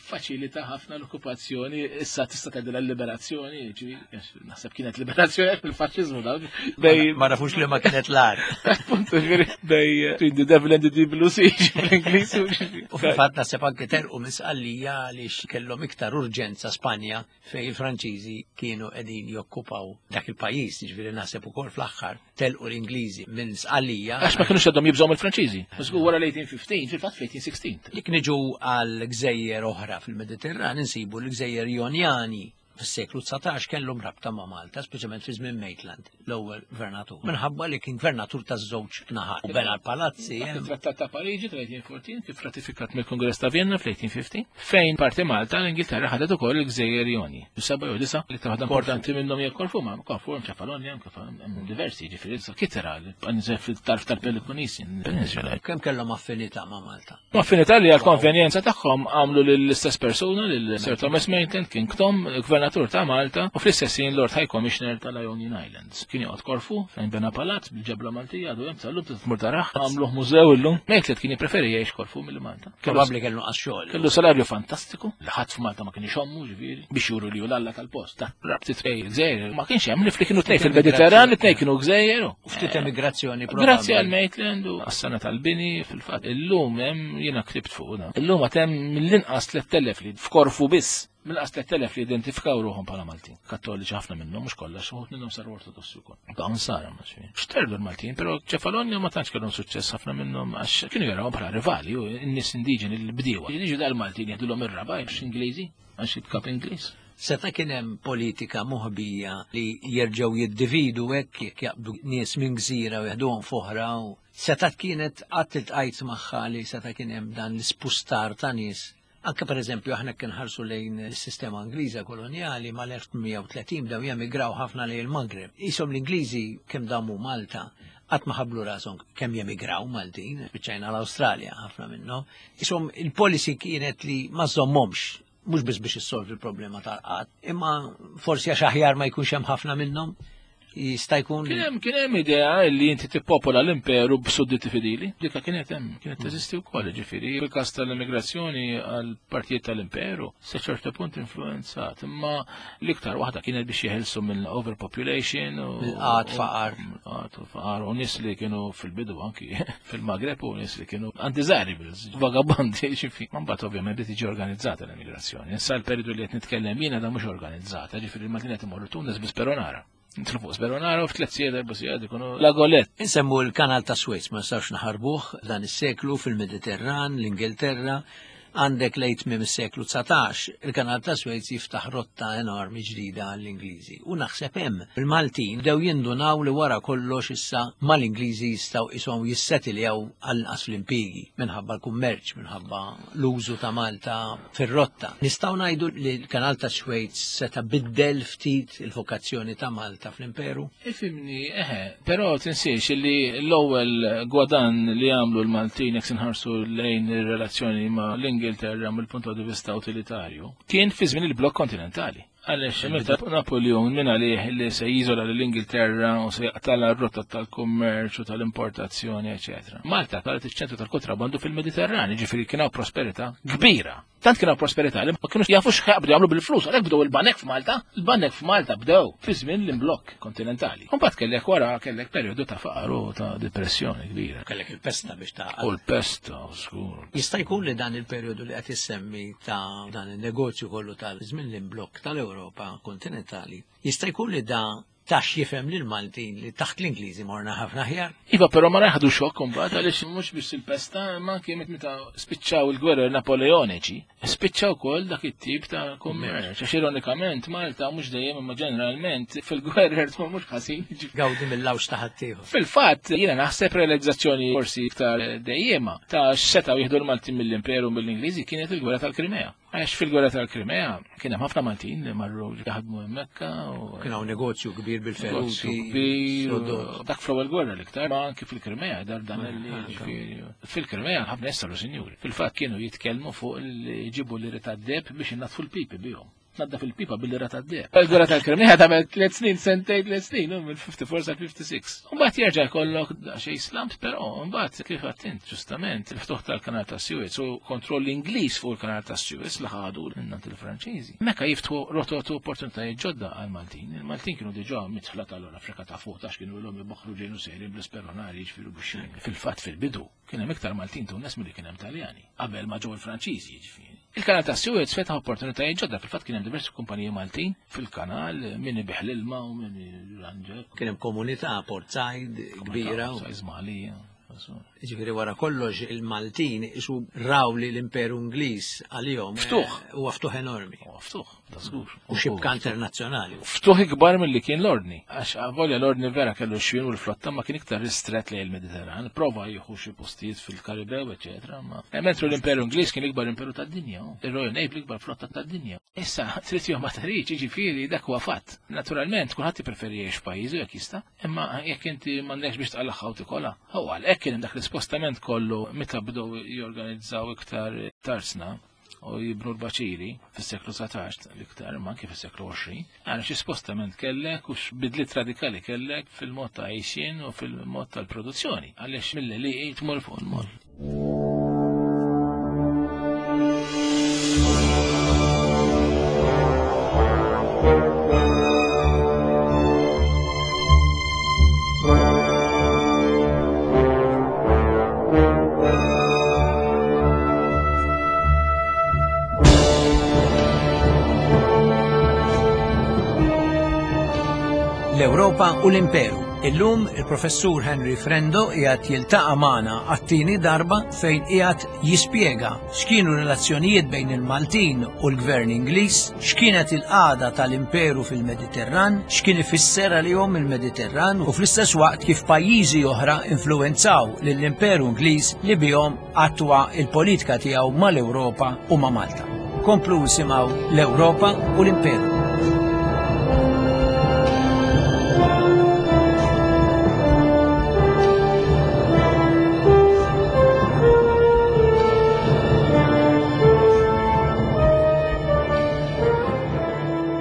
faċilita ħafna l-okkupazzjoni, issa tista' tgħidilha l-liberazzjoni, ġifieri naħseb kienet liberazzjoni fil-faxxiżmu dawk. Bej ma nafux li ma kienet l-ar. Appunto, ġifieri bej between the devil and the deep blue sea fl-Ingliż. U fil-fatt naħseb anke terqu minn Sqallija għaliex kellhom iktar urġenza Spanja fejn il-Franċiżi kienu qegħdin jokkupaw dak il-pajjiż, ġifieri naħseb ukoll fl-aħħar telqu l-Ingliżi minn Sqallija. Għax ma kinux għadhom jibżgħu mill-Franċiżi. Żgur wara l-eighteen fifteen, fil-fatt fl-eighteen sixteen. Jekk niġu għal gżejjer oħra fil-Mediterran, insibu l-gżejjer Jonjani fis-seklu dsatax kellhom rabta ma' Malta, speċjalment fi żmien Maitland, l-ewwel gvernatur. Minħabba li kien gvernatur taż-żewġ naħat. U bena l-palazzi. Il-Trattat ta' Pariġi tal-eighteen fourteen kif ratifikat mill-Kongress ta' Vienna fl-eighteen fifteen, fejn parti Malta l-Ingilterra ħadet ukoll il-Gżejjer Joni. Seba' jew disa' li waħda importanti minnhom hija Korfu, ma Korfu hemm Ċefalonja, hemm diversi, ġifieri Kitera, fil-tarf tal-Peloponnes, Peninsula. Kemm kellhom affinità ma' Malta? Affinità li għal-konvenjenza tagħhom għamlu lill-istess persuna, lil Sir Thomas Maitland, King Tom, gvernatur ta' Malta, u fl-istess ħin Lord High Commissioner tal-Ionian Islands. Kien joqgħod Korfu fejn bena palazz bil-ġebla Maltija, għadu hemm sal-lum tmur taraħ, għamluh mużew illum. Maitland kien jippreferi jgħix Korfu milli Malta. Probabbli kellu nqas xogħol. Kellu salarju fantastiku, li ħadd f'Malta ma kien ixommu, ġifieri, biex juru li hu l-alla tal-post. Ta' rabti trej gżejjer, ma kienx hemm li kienu tnej fil-Mediterran, li tnej kienu gżejjer. U ftit emigrazzjoni. Grazzi għal Maitland u għas-sena tal-bini fil-fatt. Illum hemm jiena ktibt fuq da. Illum għad hemm mill-inqas tlett elef li f'Korfu biss mill-inqas tlett elef li identifikaw ruħhom bħala Maltin. Kattoliċi ħafna minnhom, mhux kollha, xi minnhom saru ortodossi wkoll. Dawn sara ma xi. Xterdu l-Maltin, però Ċefalonja ma tantx kellhom suċċess ħafna minnhom għax kienu jarawhom bħala rivali u n-nies indiġeni l-bdiewa. Jiġu dal-Maltin jieħdulhom ir-raba' għax Ingliżi, għax il-kap Ingliż. Seta kien hemm politika moħbija li jerġgħu jiddividu hekk jekk jaqbdu nies minn gżira u jeħduhom f'oħra u seta kienet qatt iltqajt magħha li seta kien hemm dan l-ispustar ta' nies? Anke per eżempju aħna kien ħarsu lejn is-sistema Ingliża koloniali mal-elf tmien mija u tletin bdew jemigraw ħafna lejn il-Maghreb. Isom l-Ingliżi kemm damu Malta qatt ma ħablu rashom kemm jemigraw Maltin, spiċċajna l-Awstralja ħafna minnhom. Isom il-policy kienet li ma żommhomx, mhux biss biex issolvi il-problema tal-qatt, imma forsi għax aħjar ma jkunx hemm ħafna minnhom. Jista' jkun. Kien hemm kien hemm idea li inti tippopola l-imperu b'sudditi fidili. Dika kienet hemm, kienet teżisti wkoll, ġifieri. Fil-każ tal-immigrazzjoni għal partijiet tal-imperu sa ċertu punt influenzat, imma l-iktar waħda kienet biex jeħilsu mill overpopulation u Mill-qgħad, faqar. Qgħad u faqar u nies li kienu fil-bidu anki fil-Magreb u nies li kienu undesirables, vagabandi, ġifieri. Ma mbagħad ovvjament bdiet tiġi organizzata l-immigrazzjoni. Issa l-periodu li qed nitkellem jiena da mhux organizzata, ġifieri il-Maltin qed imorru Tunis bi speronara. Nitlu fuq speronara u f'tliet sigħat, erba' sigħat ikunu La Golette. Insemmu l-kanal ta' Suez, ma nistgħux naħarbuh dan is-seklu fil-Mediterran, l-Ingilterra, għandek lejt minn is-seklu dsatax, il-kanal ta' Suez jiftaħ rotta enormi ġdida għall-Ingliżi. U naħseb hemm il-Maltin bdew jindunaw li wara kollox issa mal-Ingliżi jistgħu ishom jissetiljaw għall-inqas fl-impjiegi minħabba l-kummerċ, minħabba l-użu ta' Malta fir-rotta. Nistgħu ngħidu li l-kanal ta' Suez seta' biddel ftit il-vokazzjoni ta' Malta fl-imperu? Ifhimni, eħe, però tinsiex li l-ewwel gwadan li għamlu l-Maltin jekk inħarsu lejn ir-relazzjoni ma' l-Ingilterra mill-punt di vista utilitarju kien fi żmien il-blokk kontinentali. Għaliex meta Napoleon minn għalih li se jiżola l-Ingilterra u se jaqtala r-rotta tal-kummerċ u tal-importazzjoni, eċetera. Malta saret iċ-ċentru tal-kontrabandu fil-Mediterran, ġifieri kien hawn prosperità kbira. Tant kien prosperità li ma kienux jafu x'jaqbdu jagħmlu bil-flus, għalhekk bdew il-banek f'Malta. Il-banek f'Malta bdew fi żmien l-imblokk kontinentali. Mbagħad kellek wara kellek perjodu ta' faqar u ta' depressjoni kbira. Kellek il-pesta biex ta' U l-pesta, żgur. Jista' jkun li dan il-perjodu li qed issemmi ta' dan il-negozju kollu tal-żmien l-imblokk tal-Ewropa kontinentali, jista' jkun li dan tax jifhem lil Maltin li taħt l-Ingliżi morna ħafna aħjar. Iva, però ma ħadu xokk imbagħad għaliex mhux biss il-pesta, ma anke meta spiċċaw il-gwerer Napoleoniċi, spiċċaw ukoll dak it-tip ta' kummerċ. Għax ironikament Malta mhux dejjem imma ġeneralment fil-gwerer tmur mhux ħażin. Gawdi mill-lawx ta' ħaddieħor. Fil-fatt, jiena naħseb realizzazzjoni forsi iktar dejjema ta' x'setgħu jieħdu l-Maltin mill-Imperu mill-Ingliżi kienet il-gwerra tal-Krimea. Għax fil-gwerra tal-Krimea kien hemm ħafna Maltin li marru jaħdmu hemmhekk u Kien hawn negozju kbir bil-feruti. kbir, sodod. dak fl-ewwel gwerra l-iktar, ma anki fil-Krimea, dar dan li ġifieri. Fil-Krimea ħafna nies saru sinjuri. Fil-fatt kienu jitkellmu fuq li jġibu l-lira tad-deheb biex inaddfu l-pipi bihom. Naddaf il-pipa bil-lira tad-deheb. Il-gwerra tal-Krimea tagħmel tliet snin, sentejn, tliet snin, minn ħamsa u erbgħin sa ħamsa u ħamsin. Mbagħad jerġa' jkollok xejn slumps, però mbagħad kif għedt ġustament il-ftuħ tal-Kanal ta' Suez u kontroll Ingliż fuq il-Kanal ta' Suez li ħadu mingħand il-Franċiżi. Mekka jiftħu rotot u opportunitajiet ġodda għal-Maltin. Il-Maltin kienu diġà midħla tal-Afrika ta' fuq tax kienu l-hom ibaħħru ġejnu sejrin bl-isperonari jiġifieri biex fil-fatt fil-bidu kien hemm iktar Maltin Tunes milli kien hemm Taljani qabel ma ġew il-Franċiżi jiġifieri. Il-Kanal ta' Suez fetaħ opportunitajiet ġodda, fil-fatt kien hemm diversi kumpaniji Maltin fil-kanal, min ibigħ l-ilma u min jirranġa. Kien hemm komunità Port Said kbira. u- Żmalija. Ġifieri wara kollox il-Maltin isu raw li l-Imperu Ingliż għalihom Ftuħ. eh, huwa ftuħ enormi. U ftuħ, da żgur. U xibka internazzjonali. Ftuħ ikbar mill-li kien l-ordni. Għax avolja l-ordni vera kellu xwien u l-flotta ma kien iktar ristret lejn il-Mediterran, prova jieħu xi postijiet fil-Karibew, eċetera. Ma mentru l-Imperu Ingliż kien l-ikbar imperu tad-dinja. Il-Royal Navy l-ikbar flotta tad-dinja. Issa, trid jew ma tridx, jiġifieri dak huwa fatt. Naturalment, kulħadd jippreferi jgħix f'pajjiżu jekk jista', imma jekk inti m'għandekx biex tqallaħħa u tikolha. Huwa għalhekk kien hemm dak l-ispostament kollu meta bdew jorganizzaw iktar tarsna u jibnu l-baċiri fis-seklu dsatax l-iktar, ma anke fis-seklu għoxrin. Għara xi spostament kellek u x'bidliet radikali kellek fil-mod ta' għajxien u fil-mod tal-produzzjoni. Għaliex mill-li tmur fuq il-mod. L-Ewropa u l-Imperu. Illum il-professur Henry Frendo qiegħed jiltaqa' magħna għat-tieni darba fejn qiegħed jispjega x'kienu relazzjonijiet bejn il-Maltin u l-Gvern Ingliż, x'kienet il-qagħda tal-Imperu fil-Mediterran, x'kien ifisser għalihom il-Mediterran u fl-istess waqt kif pajjiżi oħra influwenzaw lill-Imperu Ingliż li bihom attwa il-politika tiegħu mal-Ewropa u ma' Malta. Komplu isimgħu l-Ewropa u l-Imperu.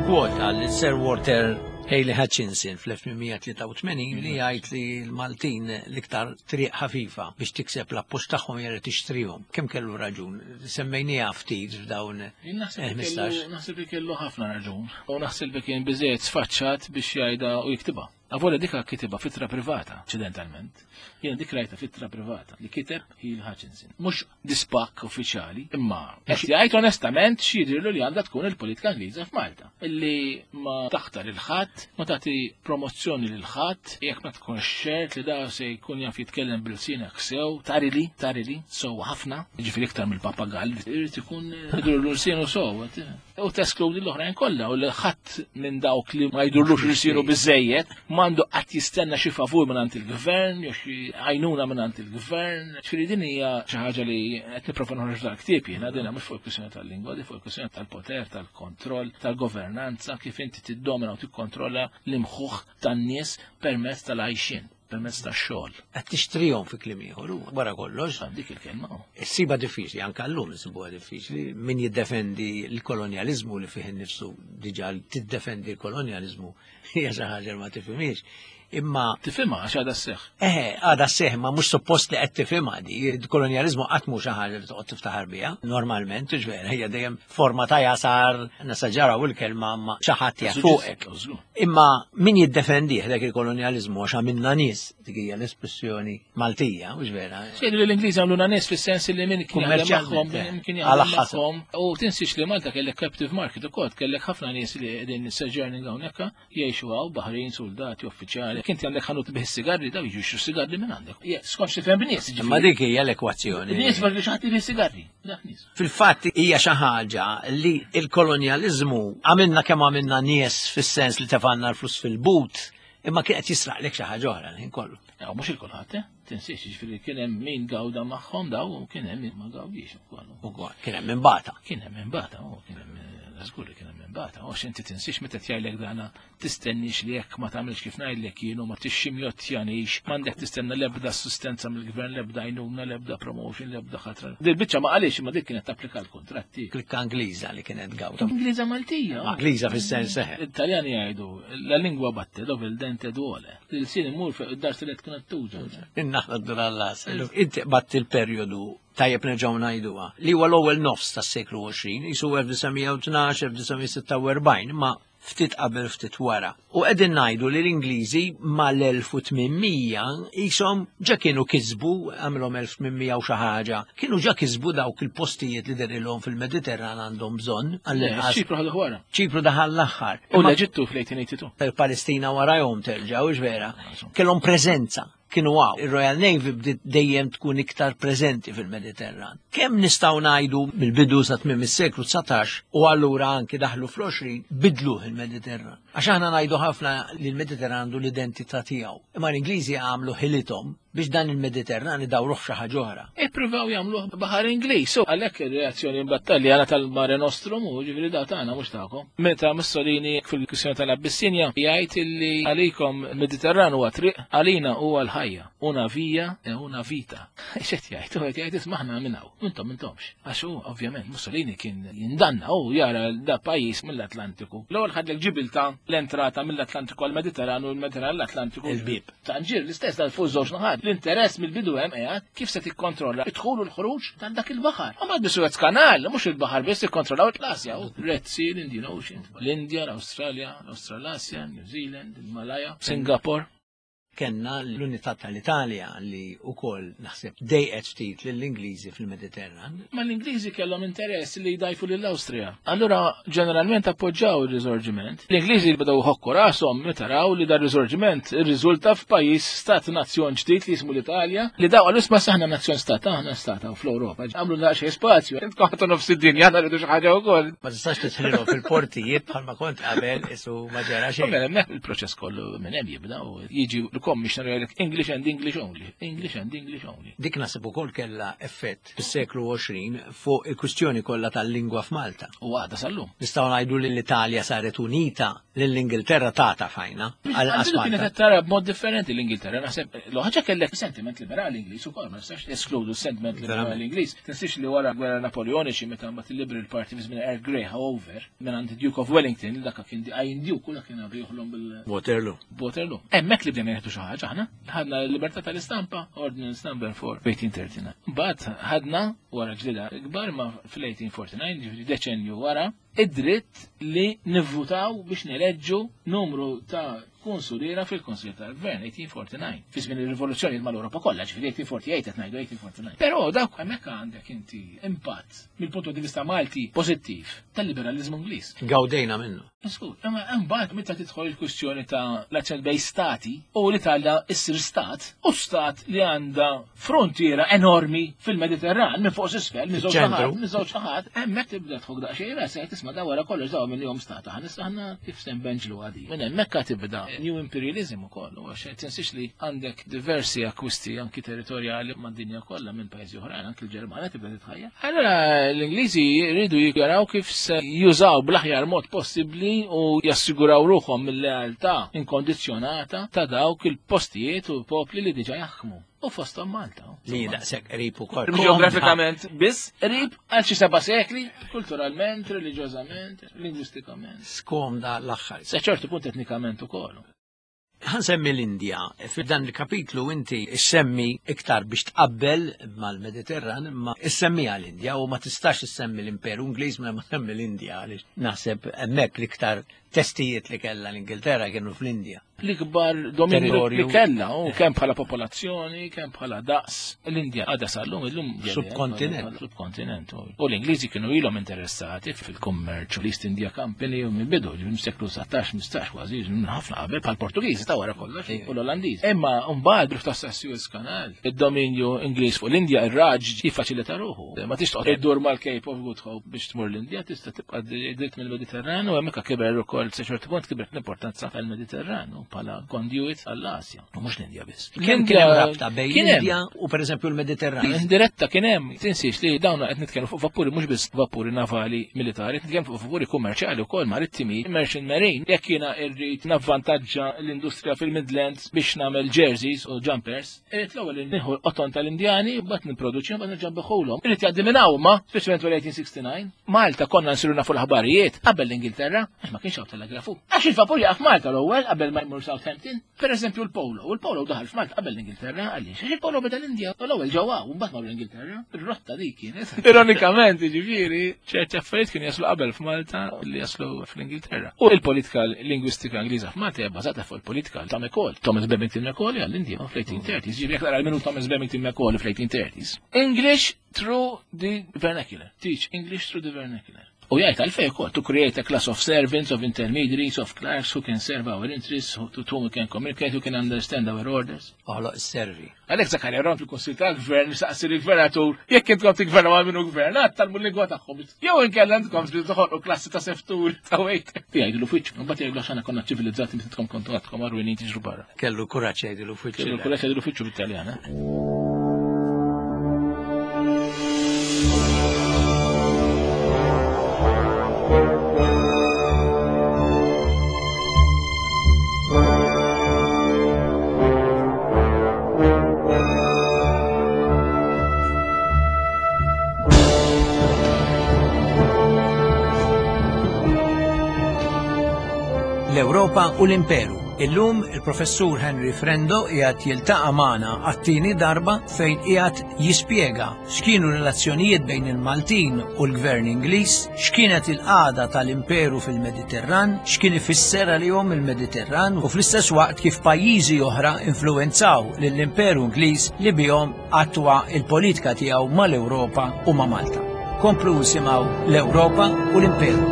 Kwota li Sir Walter Hely Hutchinson fl-elf tmien mija tlieta u tmenin li jgħid li l-Maltin l-iktar triq ħafifa biex tikseb l-appoġġ tagħhom jara tixtrihom. Kemm kellu raġun? Semmejniha ftit f'dawn Jien naħseb li ħmistax. kellu- naħseb li kellu ħafna raġun. U naħseb li kien biżejjed sfaċċat biex jgħidha u jiktibha. Avolja dika kitibha f'ittra privata, inċidentalment. Jiena dik rajta f'ittra privata li kiteb Hely Hutchinson. Mhux dispak uffiċjali, imma qed jgħid onestament x'jidhirlu li għandha tkun il-politika Ingliża f'Malta. Illi ma taħtar lil ħadd, ma tagħti promozzjoni lil ħadd, jekk ma tkunx ċert li da se jkun jaf jitkellem bil-sinek sew, tarili, tarili, sew ħafna, jiġifieri iktar mill-papagall, irid ikun jidurlu l-sienu sew. U teskludi l-oħrajn kollha u li ħadd minn dawk li ma jdurlux l-sienu biżejjed m'għandu qatt jistenna xi favur minn il-gvern jew xi għajnuna minn il-gvern. Ġifieri din hija xi ħaġa li qed nipprova noħroġ dal-ktieb jiena din mhux fuq il-kwistjoni tal-lingwa, di fuq il-kwistjoni tal-poter, tal-kontroll, tal-governanza, kif inti tiddomina u tikkontrolla l-imħuħ tan-nies permezz tal-għajxien, permezz tax-xogħol. Qed tixtrihom fi kliem ieħor u wara kollox. Dik il-kelma. Issiba diffiċli, anke llum insibuha diffiċli, min jiddefendi l-kolonjaliżmu li fih innifsu diġà tiddefendi l-kolonjaliżmu hija xi ħaġa li ma tifhimiex. Imma Tifhimha għax għadha sseħħ. Eħe, għadha sseħħ, ma mhux suppost li qed tifhimha di. Il-kolonjaliżmu qatt mhu xi ħaġa li toqgħod tiftaħar biha. Normalment, ġvera, hija dejjem forma ta' jasar, nesaġeraw il-kelma ma xi ħadd jaf fuqek. Imma min jiddefendih dak il-kolonjaliżmu għax għamilna nies, dik hija l-espressjoni Maltija, mhux vera. Xejdu li l-Ingliżi għamluna nies fis-sens li min kien jaħdem magħhom, min kien jaħdem magħhom. U tinsiex li Malta kellek captive market ukoll, kellek ħafna nies li qegħdin sojourning hawnhekk jgħixu hawn, baħrin, soldati, uffiċjali. Kinti għandek ħanut bih sigarri, daw jiġu jixtru sigarri minn għandek. Skont xi fhem b'nies. Imma dik hija l-ekwazzjoni. Nies li xi ħadd ibih sigarri. Dak nies. Fil-fatt hija xi ħaġa li l-kolonjaliżmu għamilna kemm għamilna nies fis-sens li tefanna l-flus fil-but, imma kien qed jisraqlek xi ħaġa oħra l-ħin kollu. Mhux il-kulħadd, eh? Tinsiex, jiġifieri kien hemm min gawda magħhom daw u kien hemm min ma gawdix ukoll. Ukoll, kien hemm min bata. Kien hemm min bata, u kien hemm żgur li kien hemm min bata. Għax inti tinsiex meta tgħidlek dana tistennix li jekk ma tagħmilx kif ngħidlek jien u ma tixximjottjanix, m'għandek tistenna l-ebda assistenza mill-gvern, l-ebda għajnuna, l-ebda promotion, l-ebda ħatra. Dil biċċa ma qalix, imma dik kienet tapplika l-kontratti. Klikka Ingliża li kienet gawda. Ingliża Maltija. Ingliża fis-sens seħ. Italjani jgħidu la lingua batte dove il dente duole. Il-sin imur fuq id-dar li tkun tuġa. Innaħla d-dur għall-las. Inti batt il-perjodu tajjeb nerġgħu ngħiduha li huwa l-ewwel nofs tas-seklu għoxrin, jisu elf disa' mija u tnax, elf disa' mija sitta u erbgħin, ma ftit qabel ftit wara. U qegħdin ngħidu li l-Ingliżi mal-elf u tmien mija qishom ġa kienu kisbu, għamilhom elf tmien mija u xi ħaġa, kienu ġa kisbu dawk il-postijiet li derilhom fil-Mediterran għandhom bżonn għall-inqas. Ċipru ħadu wara. Ċipru daħal l-aħħar. U l-Eġittu fl-eighteen eighty-two. Il-Palestina warahom terġa', hux vera? Kellhom preżenza. Kienu għaw. Il-Royal Navy bdiet dejjem tkun iktar preżenti fil-Mediterran. Kemm nistgħu ngħidu mill-bidu sa tmiem is-seklu dsatax u allura anki daħlu fl-għoxrin bidluh il-Mediterran. Għax aħna ngħidu ħafna li l-Mediterran għandu l-identità tiegħu. Imma l-Ingliżi għamlu ħilithom biex dan il-Mediterran idawruh xi ħaġa oħra. Ippruvaw jagħmluh baħar Ingliż. So, għalhekk ir-reazzjoni mbattalja tal-Mare Nostrum u ġifieri da tagħna mhux tagħkom. Meta Mussolini fil-kwistjoni tal-Abissinja jgħid illi għalikom il-Mediterran huwa triq, għalina huwa l-ħajja. Una via e una vita. X'qed jgħid? Hu qed jgħid isma' aħna minn hawn, intom intomx. Għax hu ovvjament Mussolini kien jindanna u jara da pajjiż mill-Atlantiku. L-ewwel ħadlek Ġibilta l-entrata mill-Atlantiku għall-Mediterran u l-Mediterran l-Atlantiku. Il-bib. Tanġir l-istess dal fuq żewġ naħat. L-interess mill-bidu hemm qiegħed kif se tikkontrolla id-dħul u l-ħruġ tal dak il-baħar. U ma Suez Canal, mhux il-baħar biss ikkontrollaw l-Asja, Red Sea, l-Indian Ocean, l-Indja, l-Awstralja, l-Awstralasja, New Zealand, il-Malaya, Singapore. Kenna l-unità tal-Italja li wkoll naħseb dejqet ftit lill-Ingliżi fil-Mediterran. Ma l-Ingliżi kellhom interess li jdajfu lill-Awstrija. Allura ġeneralment appoġġaw ir-riżorġiment. L-Ingliżi bdew ħokku rashom meta raw li dar riżorġiment irriżulta f'pajjiż stat nazzjon ġdid li jismu l-Italja, li daw qalu isma' saħna nazzjon stat, aħna stat hawn fl-Ewropa. Għamlu daqsxejn spazju. Intkom ħadtu nofs id-dinja, aħna rridu xi ħaġa wkoll. Ma tistax tidħlilhom fil-portijiet bħalma kont qabel isu ma ġara xejn. Mela hemmhekk il-proċess kollu minn hemm jibda u jiġi l-commissioner jgħidlek English and English only, English and English only. Dik naħseb ukoll kellha effett fis-seklu għoxrin fuq il-kwistjoni kollha tal-lingwa f'Malta. U għadha sal-lum. Nistgħu ngħidu li l-Italja saret unita lill-Ingilterra tata fajna. Għal Għal-bidu kienet Malta. qed tara b'mod differenti l-Ingilterra. Naħseb l ħaġa kellek sentiment liberali Ingliż ukoll, ma nistax eskludu sentiment liberali Ingliż. Tinsiex li wara gwerra Napoleoniċi meta mbagħad il-Liberal Party fi żmien Earl Grey however, minn għand Duke of Wellington, dak kien di Iron Duke, dak kien għadu joħlom bil Waterloo. Waterloo. Hemmhekk li bdejna nieħdu xi ħaġa aħna. Ħadna l-libertà tal-istampa, Ordinance number four, eighteen thirty-nine. Mbagħad ħadna wara ġlida kbar ma fl-eighteen forty-nine, ġifieri deċenju wara, id-dritt li nivvutaw biex neleġġu numru ta' konsuliera fil-Konsil tal-Gvern, eighteen forty-nine. Fi żmien ir-rivoluzzjoni mal-Ewropa kollha, ġifieri eighteen forty-eight qed ngħidu eighteen forty-nine. Però dawk hemmhekk għandek inti impatt mill-punt di vista Malti pożittiv tal-liberalizmu Ingliż. Gawdejna minnu. Skur, imma imbagħad meta tidħol il-kwistjoni ta' l-azzjoni bejn stati u l-Italja issir stat, u stat li għandha frontiera enormi fil-Mediterran minn fuq s'isfel, minn żewġ Ċentru. naħat, minn żewġ naħat, hemmhekk tibda tħok daqsxejn rasek tisma' da wara kollox daw minnhom stat, aħna issa aħna kif se nbenġlu għadi. Minn hemmhekk tibda New Imperialism ukoll, u għax tinsiex li għandek diversi akkwisti anki territorjali mad-dinja kollha minn pajjiżi oħrajn, anki l-Ġermanja tibda titħajja. Allura l-Ingliżi jridu jaraw kif se jużaw bl-aħjar mod possibbli u jassiguraw ruħhom mill-lealtà inkondizzjonata ta' dawk il-postijiet u popli li diġà jaħkmu. U fosthom Malta. Li daqshekk qrib ukoll. Ġeografikament biss, qrib għal xi seba' sekli, kulturalment, reliġjożament, lingwistikament. Skomda l-aħħar. Sa ċertu punt etnikament ukoll. Ħansemmi l-Indja. F'dan il-kapitlu inti issemmi iktar biex tqabbel mal-Mediterran, imma issemmiha l-Indja u ma tistax issemmi l-Imperu Ingliż ma semmi l-Indja għaliex naħseb hemmhekk l-iktar testijiet li kellha l-Ingilterra kienu fl-Indja. L-ikbar dominju li kellha, u kemm bħala popolazzjoni, kemm bħala daqs. L-Indja għadha sal-lum illum subkontinent. Subkontinent. U l-Ingliżi kienu ilhom interessati fil-kummerċ, l-East India Company u mill-bidu, mis-seklu satax, mistax kważi, minn ħafna qabel bħal Portugiżi ta' wara kollox u l-Olandiżi. Imma mbagħad b'rifta Suez Canal, id-dominju Ingliż fuq l-Indja ir-Raġ jiffaċilita ruħu. Ma tix toqgħod iddur mal-Cape of Good Hope biex tmur l-Indja, tista' tibqa' dritt mill-Mediterran u hemmhekk kiber ukoll sa ċertu punt kibret l-importanza tal-Mediterran bħala conduit għall-Asja, u mhux l-Indja biss. Kien kien hemm rabta bejn l-Indja u pereżempju l-Mediterran. Indiretta kien hemm, tinsiex li dawn qed nitkellmu fuq vapuri mhux biss vapuri navali militari, qed nitkellmu fuq vapuri kummerċjali wkoll marittimi, merchant marine. Jekk jiena rrid navvantaġġa l-industrija fil-Midlands biex nagħmel jerseys u jumpers, irrid l-ewwel nieħu l-qoton tal-Indjani, mbagħad nipproduċi mbagħad nerġa' nbiħulhom. Irrid jgħaddi minn hawn ma, speċjalment wara eighteen sixty-nine. Malta konna nsiru nafu l-aħbarijiet qabel l-Ingilterra, għax ma kienx hawn telegrafu. Għax il-vapur jaqaf Malta l-ewwel qabel ma jmur Southampton. Per eżempju l-Polo, u l-Polo daħal f'Malta qabel l-Ingilterra, għaliex? Għax il-Polo beda l-Indja, u l-ewwel ġewwa u mbagħad marru l-Ingilterra. Ir-rotta dik kienet. Ironikament, jiġifieri, ċerti affarijiet kienu jaslu qabel f'Malta li jaslu fl-Ingilterra. U l-politika lingwistika Ingliża f'Malta hija bbażata fuq il-politika ta' Macaulay, Thomas Babington Macaulay għall-Indja fl-eighteen thirties. Jiġifieri jekk tara minnu Thomas Babington Macaulay fl-eighteen thirties. English through the vernacular. Teach English through the vernacular. U jgħid għalfejn ukoll, to create a class of servants, of intermediaries, of clerks who can serve our interests, who, to whom we can communicate, who can understand our orders. Oħloq is-servi. Għalhekk Zakarja Ron fil-Kunsill tal-Gvern saqsi lill-gvernatur jekk intkom tiggvernaw għal minnu gvernat tal lingwa tagħhom. Jew inkella intkom trid toħolqu klassi ta' seftur ta' wejt. Jgħidlu f'wiċċu, mbagħad jgħidlu għax aħna konna ċivilizzati meta intkom kontu għadkom għarwinin tiġru barra. Kellu kuraġġ jgħidlu f'wiċċu. Kellu kuraġġ jgħidlu f'wiċċu bit-Taljan. L-Ewropa u l-Imperu. Illum il-professur Henry Frendo qiegħed jiltaqa' magħna għat-tieni darba fejn qiegħed jispjega x'kienu relazzjonijiet bejn il-Maltin u l-Gvern Ingliż, x'kienet il-qagħda tal-Imperu fil-Mediterran, x'kien ifisser għalihom il-Mediterran u fl-istess waqt kif pajjiżi oħra influwenzaw lill-Imperu Ingliż li bihom attwa il-politika tiegħu mal-Ewropa u ma' Malta. Komplu simgħu l-Ewropa u l-Imperu.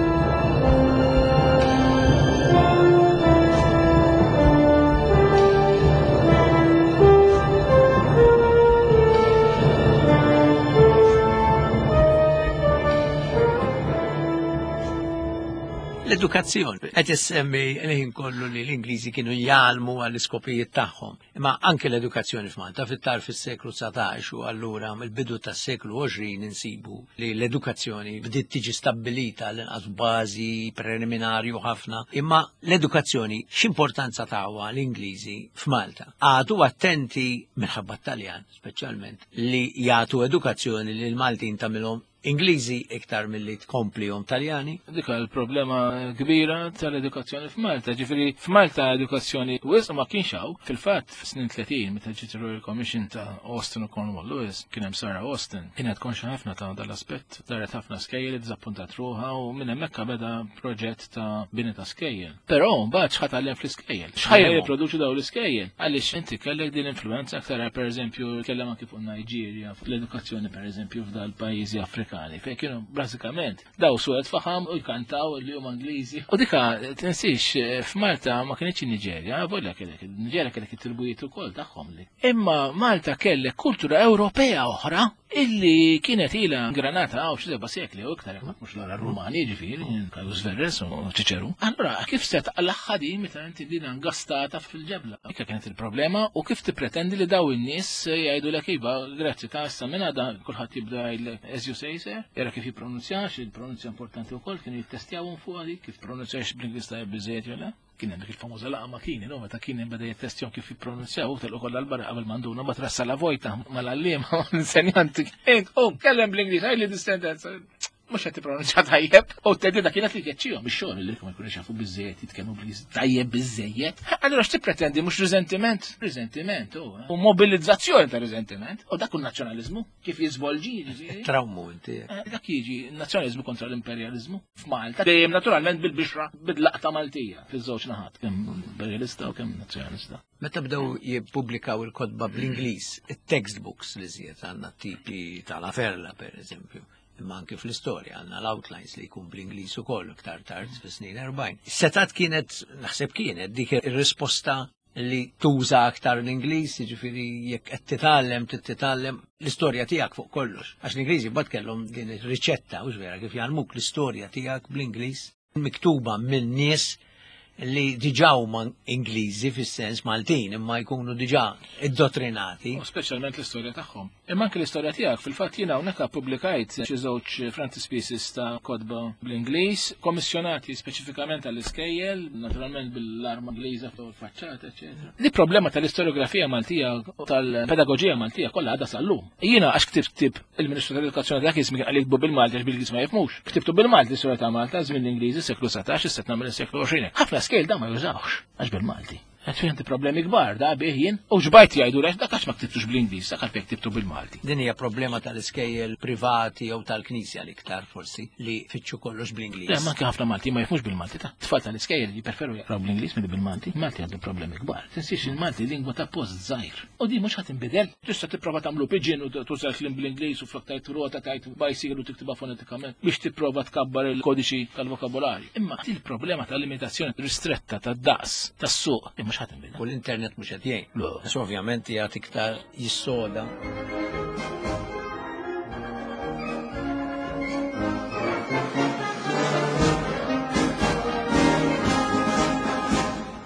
L-edukazzjoni. Qed issemmi l-ħin kollu li l-Ingliżi kienu jgħallmu għall-iskopijiet tagħhom. Imma anke l-edukazzjoni f'Malta fit-tarf fis-seklu dsatax u allura mill-bidu tas-seklu għoxrin insibu li l-edukazzjoni bdiet tiġi stabbilita l-inqas bażi preliminarju ħafna. Imma l-edukazzjoni x'importanza tawha l-Ingliżi f'Malta? Għadu attenti minħabba t-Taljan speċjalment li jagħtu edukazzjoni lil Maltin tagħmilhom Ingliżi iktar milli tkomplihom Taljani. Dik il-problema kbira tal-edukazzjoni f'Malta. Ġifieri f'Malta edukazzjoni wisq ma kienx hawn. Fil-fatt fis-snin tletin meta ġiet Royal Commission ta' Austin u Cornwall Lewis kien hemm Sarah Austin kienet konxa ħafna ta' dal-aspett, daret ħafna skejjel, iddiżappuntat ruħha u minn hemmhekk beda proġett ta' bini ta' skejjel. Però mbagħad x'ħa tgħallem fl-iskejjel? X'ħa jipproduċu dawn l-iskejjel? Għaliex inti kellek din l-influenza aktar pereżempju kellem anki fuq Niġerja, fl-edukazzjoni pereżempju f'dal-pajjiżi Afrikani. Fejn kienu bażikament daw suwed faħam u jkantaw li huma Ingliżi. U dika tinsiex f'Malta ma kienx in-Niġerja, volja kellek in-Niġerja kellek it-tribujiet ukoll tagħhom li. Imma Malta kellek kultura Ewropea oħra illi kienet ilha ingranata hawn xi seba' sekli u iktar jekk mhux l-ora Rumani ġifieri, Caius Verres u Ċiċeru. Allura kif se taqlaħħa din meta inti din ingastata fil-ġebla? Dika kienet il-problema u kif tippretendi li daw in-nies jgħidulek iva, grazzi ta' issa minn għada kulħadd jibda jgħidlek as you say sir, jara kif jippronunzjax, il-pronunzja importanti wkoll kienu jittestjawhom fuq dik kif pronunzjax bl-Ingliż tajjeb biżejjed jew le. Kien hemm dik il-famuża laqgħa ma' Kini, no, meta Kini beda jittestjahom kif jippronunzjaw, telqu kollha l-barra qabel manduna, ma trassa la vojta mal-għalliema mal-insenjanti. Int, oh, kellem bl-Ingliż, għajli dis-sentenza. Mhux qed tippronunzja tajjeb. U t-theddida kienet li keċċihom ix-xogħol li ma jkunux jafu biżejjed jitkellmu bl-Ingliż tajjeb biżejjed. Allura x'tippretendi mhux riżentiment? Riżentiment u mobilizzazzjoni ta' riżentiment. U dak hu nazzjonaliżmu kif jiżvolġi jiġifieri. Trawmu inti. Dak jiġi nazzjonaliżmu kontra l-imperjaliżmu f'Malta. Dejjem naturalment bil-bixra bil-laqta Maltija fiż-żewġ naħat, kemm imperjalista u kemm nazzjonalista. Meta bdew jippubblikaw il-kotba bl-Ingliż, it-textbooks li żied għandna tipi ta' La Ferla per eżempju, imma anke fl-istorja għandna l-outlines li jkun bl-Ingliż ukoll iktar tard fis-snin erbgħin. Setat kienet, naħseb kienet dik ir-risposta li tuża aktar l-Ingliż, jiġifieri jekk qed titgħallem titgħallem l-istorja tiegħek fuq kollox. Għax l-Ingliżi mbagħad kellhom din ir-riċetta, hux vera, kif jgħallmuk l-istorja tiegħek bl-Ingliż miktuba minn nies li diġà huma Ingliżi fis-sens Maltin imma jkunu diġà iddottrinati. U speċjalment l-istorja tagħhom. Imma anke l-istorja tiegħek fil-fatt jiena hawnhekk pubblikajt xi żewġ frontispieces ta' kotba bl-Ingliż, kommissjonati speċifikament għall-iskejjel, naturalment bil-arma Ingliża fuq il-faċċata, eċetera. Di problema tal-istoriografija Maltija u tal-pedagoġija Maltija kollha għadha sal-lum. Jiena għax ktibt ktieb il-Ministru tal-Edukazzjoni dak iż-żmien qal jiktbu bil-Malti għax bil-Ingliż ma jifhmux. Ktibtu bil-Malti l-istorja ta' Malta żmien l-Ingliżi seklu satax, issa nagħmel is-seklu għoxrin. Ħafna skejjel da ma jużawx għax bil-Malti. Għad fejn problemi kbar da bih jien u ġbajt jgħidu lex dak għax ma ktibtux bl-Ingliż, dak għalfejn ktibtu bil-Malti. Din hija problema tal-iskejjel privati jew tal-Knisja l-iktar forsi li fitxu kollox bl-Ingliż. Le, ma anke ħafna Malti ma jifhmux bil-Malti ta' tfal tal-iskejjel jippreferu jaqraw bl-Ingliż milli bil-Malti. Malti għandu problemi kbar. Tinsiex il-Malti lingwa ta' post żgħir. U di mhux ħadd inbidel. Tista' tipprova tagħmlu pidgin u tuża l-kliem bl-Ingliż u flok tajt rota tajt bicycle u tiktibha fonetikament biex tipprova tkabbar il-kodiċi tal-vokabolarju. Imma il-problema tal-limitazzjoni ristretta tad-daqs tas-suq mhux ħadd inbidel. U l-internet mhux qed jgħin. Le. Għax ovvjament jagħti iktar jissoda.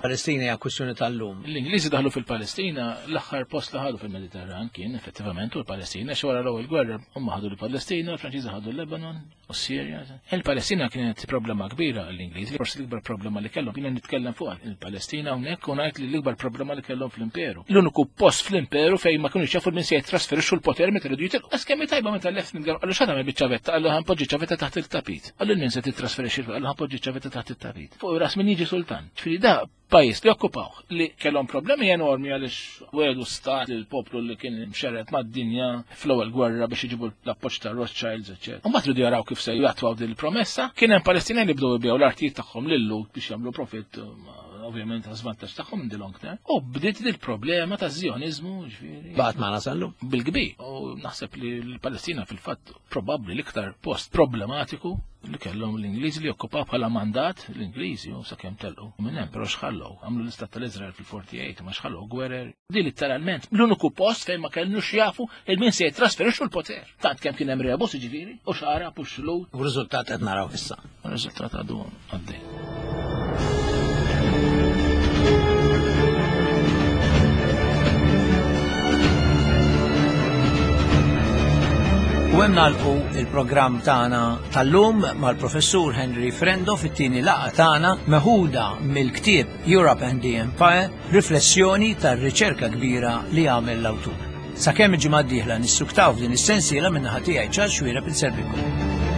Palestina hija kwistjoni tal-lum. L-Ingliżi daħlu fil-Palestina, l-aħħar post li ħadu fil-Mediterran kien effettivament u l-Palestina, xi wara l-ewwel gwerra huma ħadu l-Palestina, l-Franċiżi ħadu l-Lebanon u s-Sirja. Il-Palestina kienet problema kbira għall-Ingliżi, forsi l-ikbar problema li kellhom, jiena nitkellem fuq il-Palestina hawnhekk u ngħid li l-ikbar problema li kellhom fl-Imperu. L-uniku post fl-Imperu fejn ma kinux jafu min se jitrasferixxu l-poter meta iridu jitilqu. Għax kemm tajba meta left nitkellem, qallu x'għadha biċ-ċavetta, qallu ħanpoġġi ċavetta taħt il-tapit. Qallu min se titrasferixxi, qallu ħanpoġġi ċavetta taħt il-tapit. Fuq ras min jiġi sultan. Ġifieri da pajjiż li okkupaw li kellhom problemi enormi għaliex wedu stat il-poplu li kien mxerred mad-dinja fl-ewwel gwerra biex iġibu l-appoġġ ta' Rothschilds, eċċetera. U mbagħad ridu jaraw kif se jattwaw din il-promessa. Kien hemm Palestinjani li bdew jbigħu l-artijiet tagħhom lil-Lhud biex jagħmlu profitt, ovvjament ta' żvantaġġ tagħhom in the long term. U bdiet din il-problema ta' Zjonizmu, ġifieri. Baqgħet magħna sal-lum. Bil-kbir. U naħseb li l-Palestina fil-fatt probabbli l-iktar post problematiku li kellhom l-Ingliżi li okkupaw bħala mandat l-Ingliżi u sakemm telqu. Minn hemm però xħallew, għamlu l-istat tal-Iżrael fil-forty-eight ma xħallew gwerer. Di letteralment l-uniku post fejn ma kellux jafu il-min se jitrasferixxu l-poter. Tant kemm kien hemm rebus jiġifieri u xarab u xlut. U r-riżultat qed naraw issa. U r-riżultat għadu għaddej. U hemm nagħlqu il-programm tagħna tal-lum mal-Professur Henry Frendo fit-tieni laqgħa tagħna meħuda mill-ktieb Europe and the Empire, riflessjoni tar-riċerka kbira li għamel l-awtur. Sakemm il-ġimgħa d-dieħla nissuktaw f'din is-sensiela min-naħa tiegħi Charles Xuereb inservikom.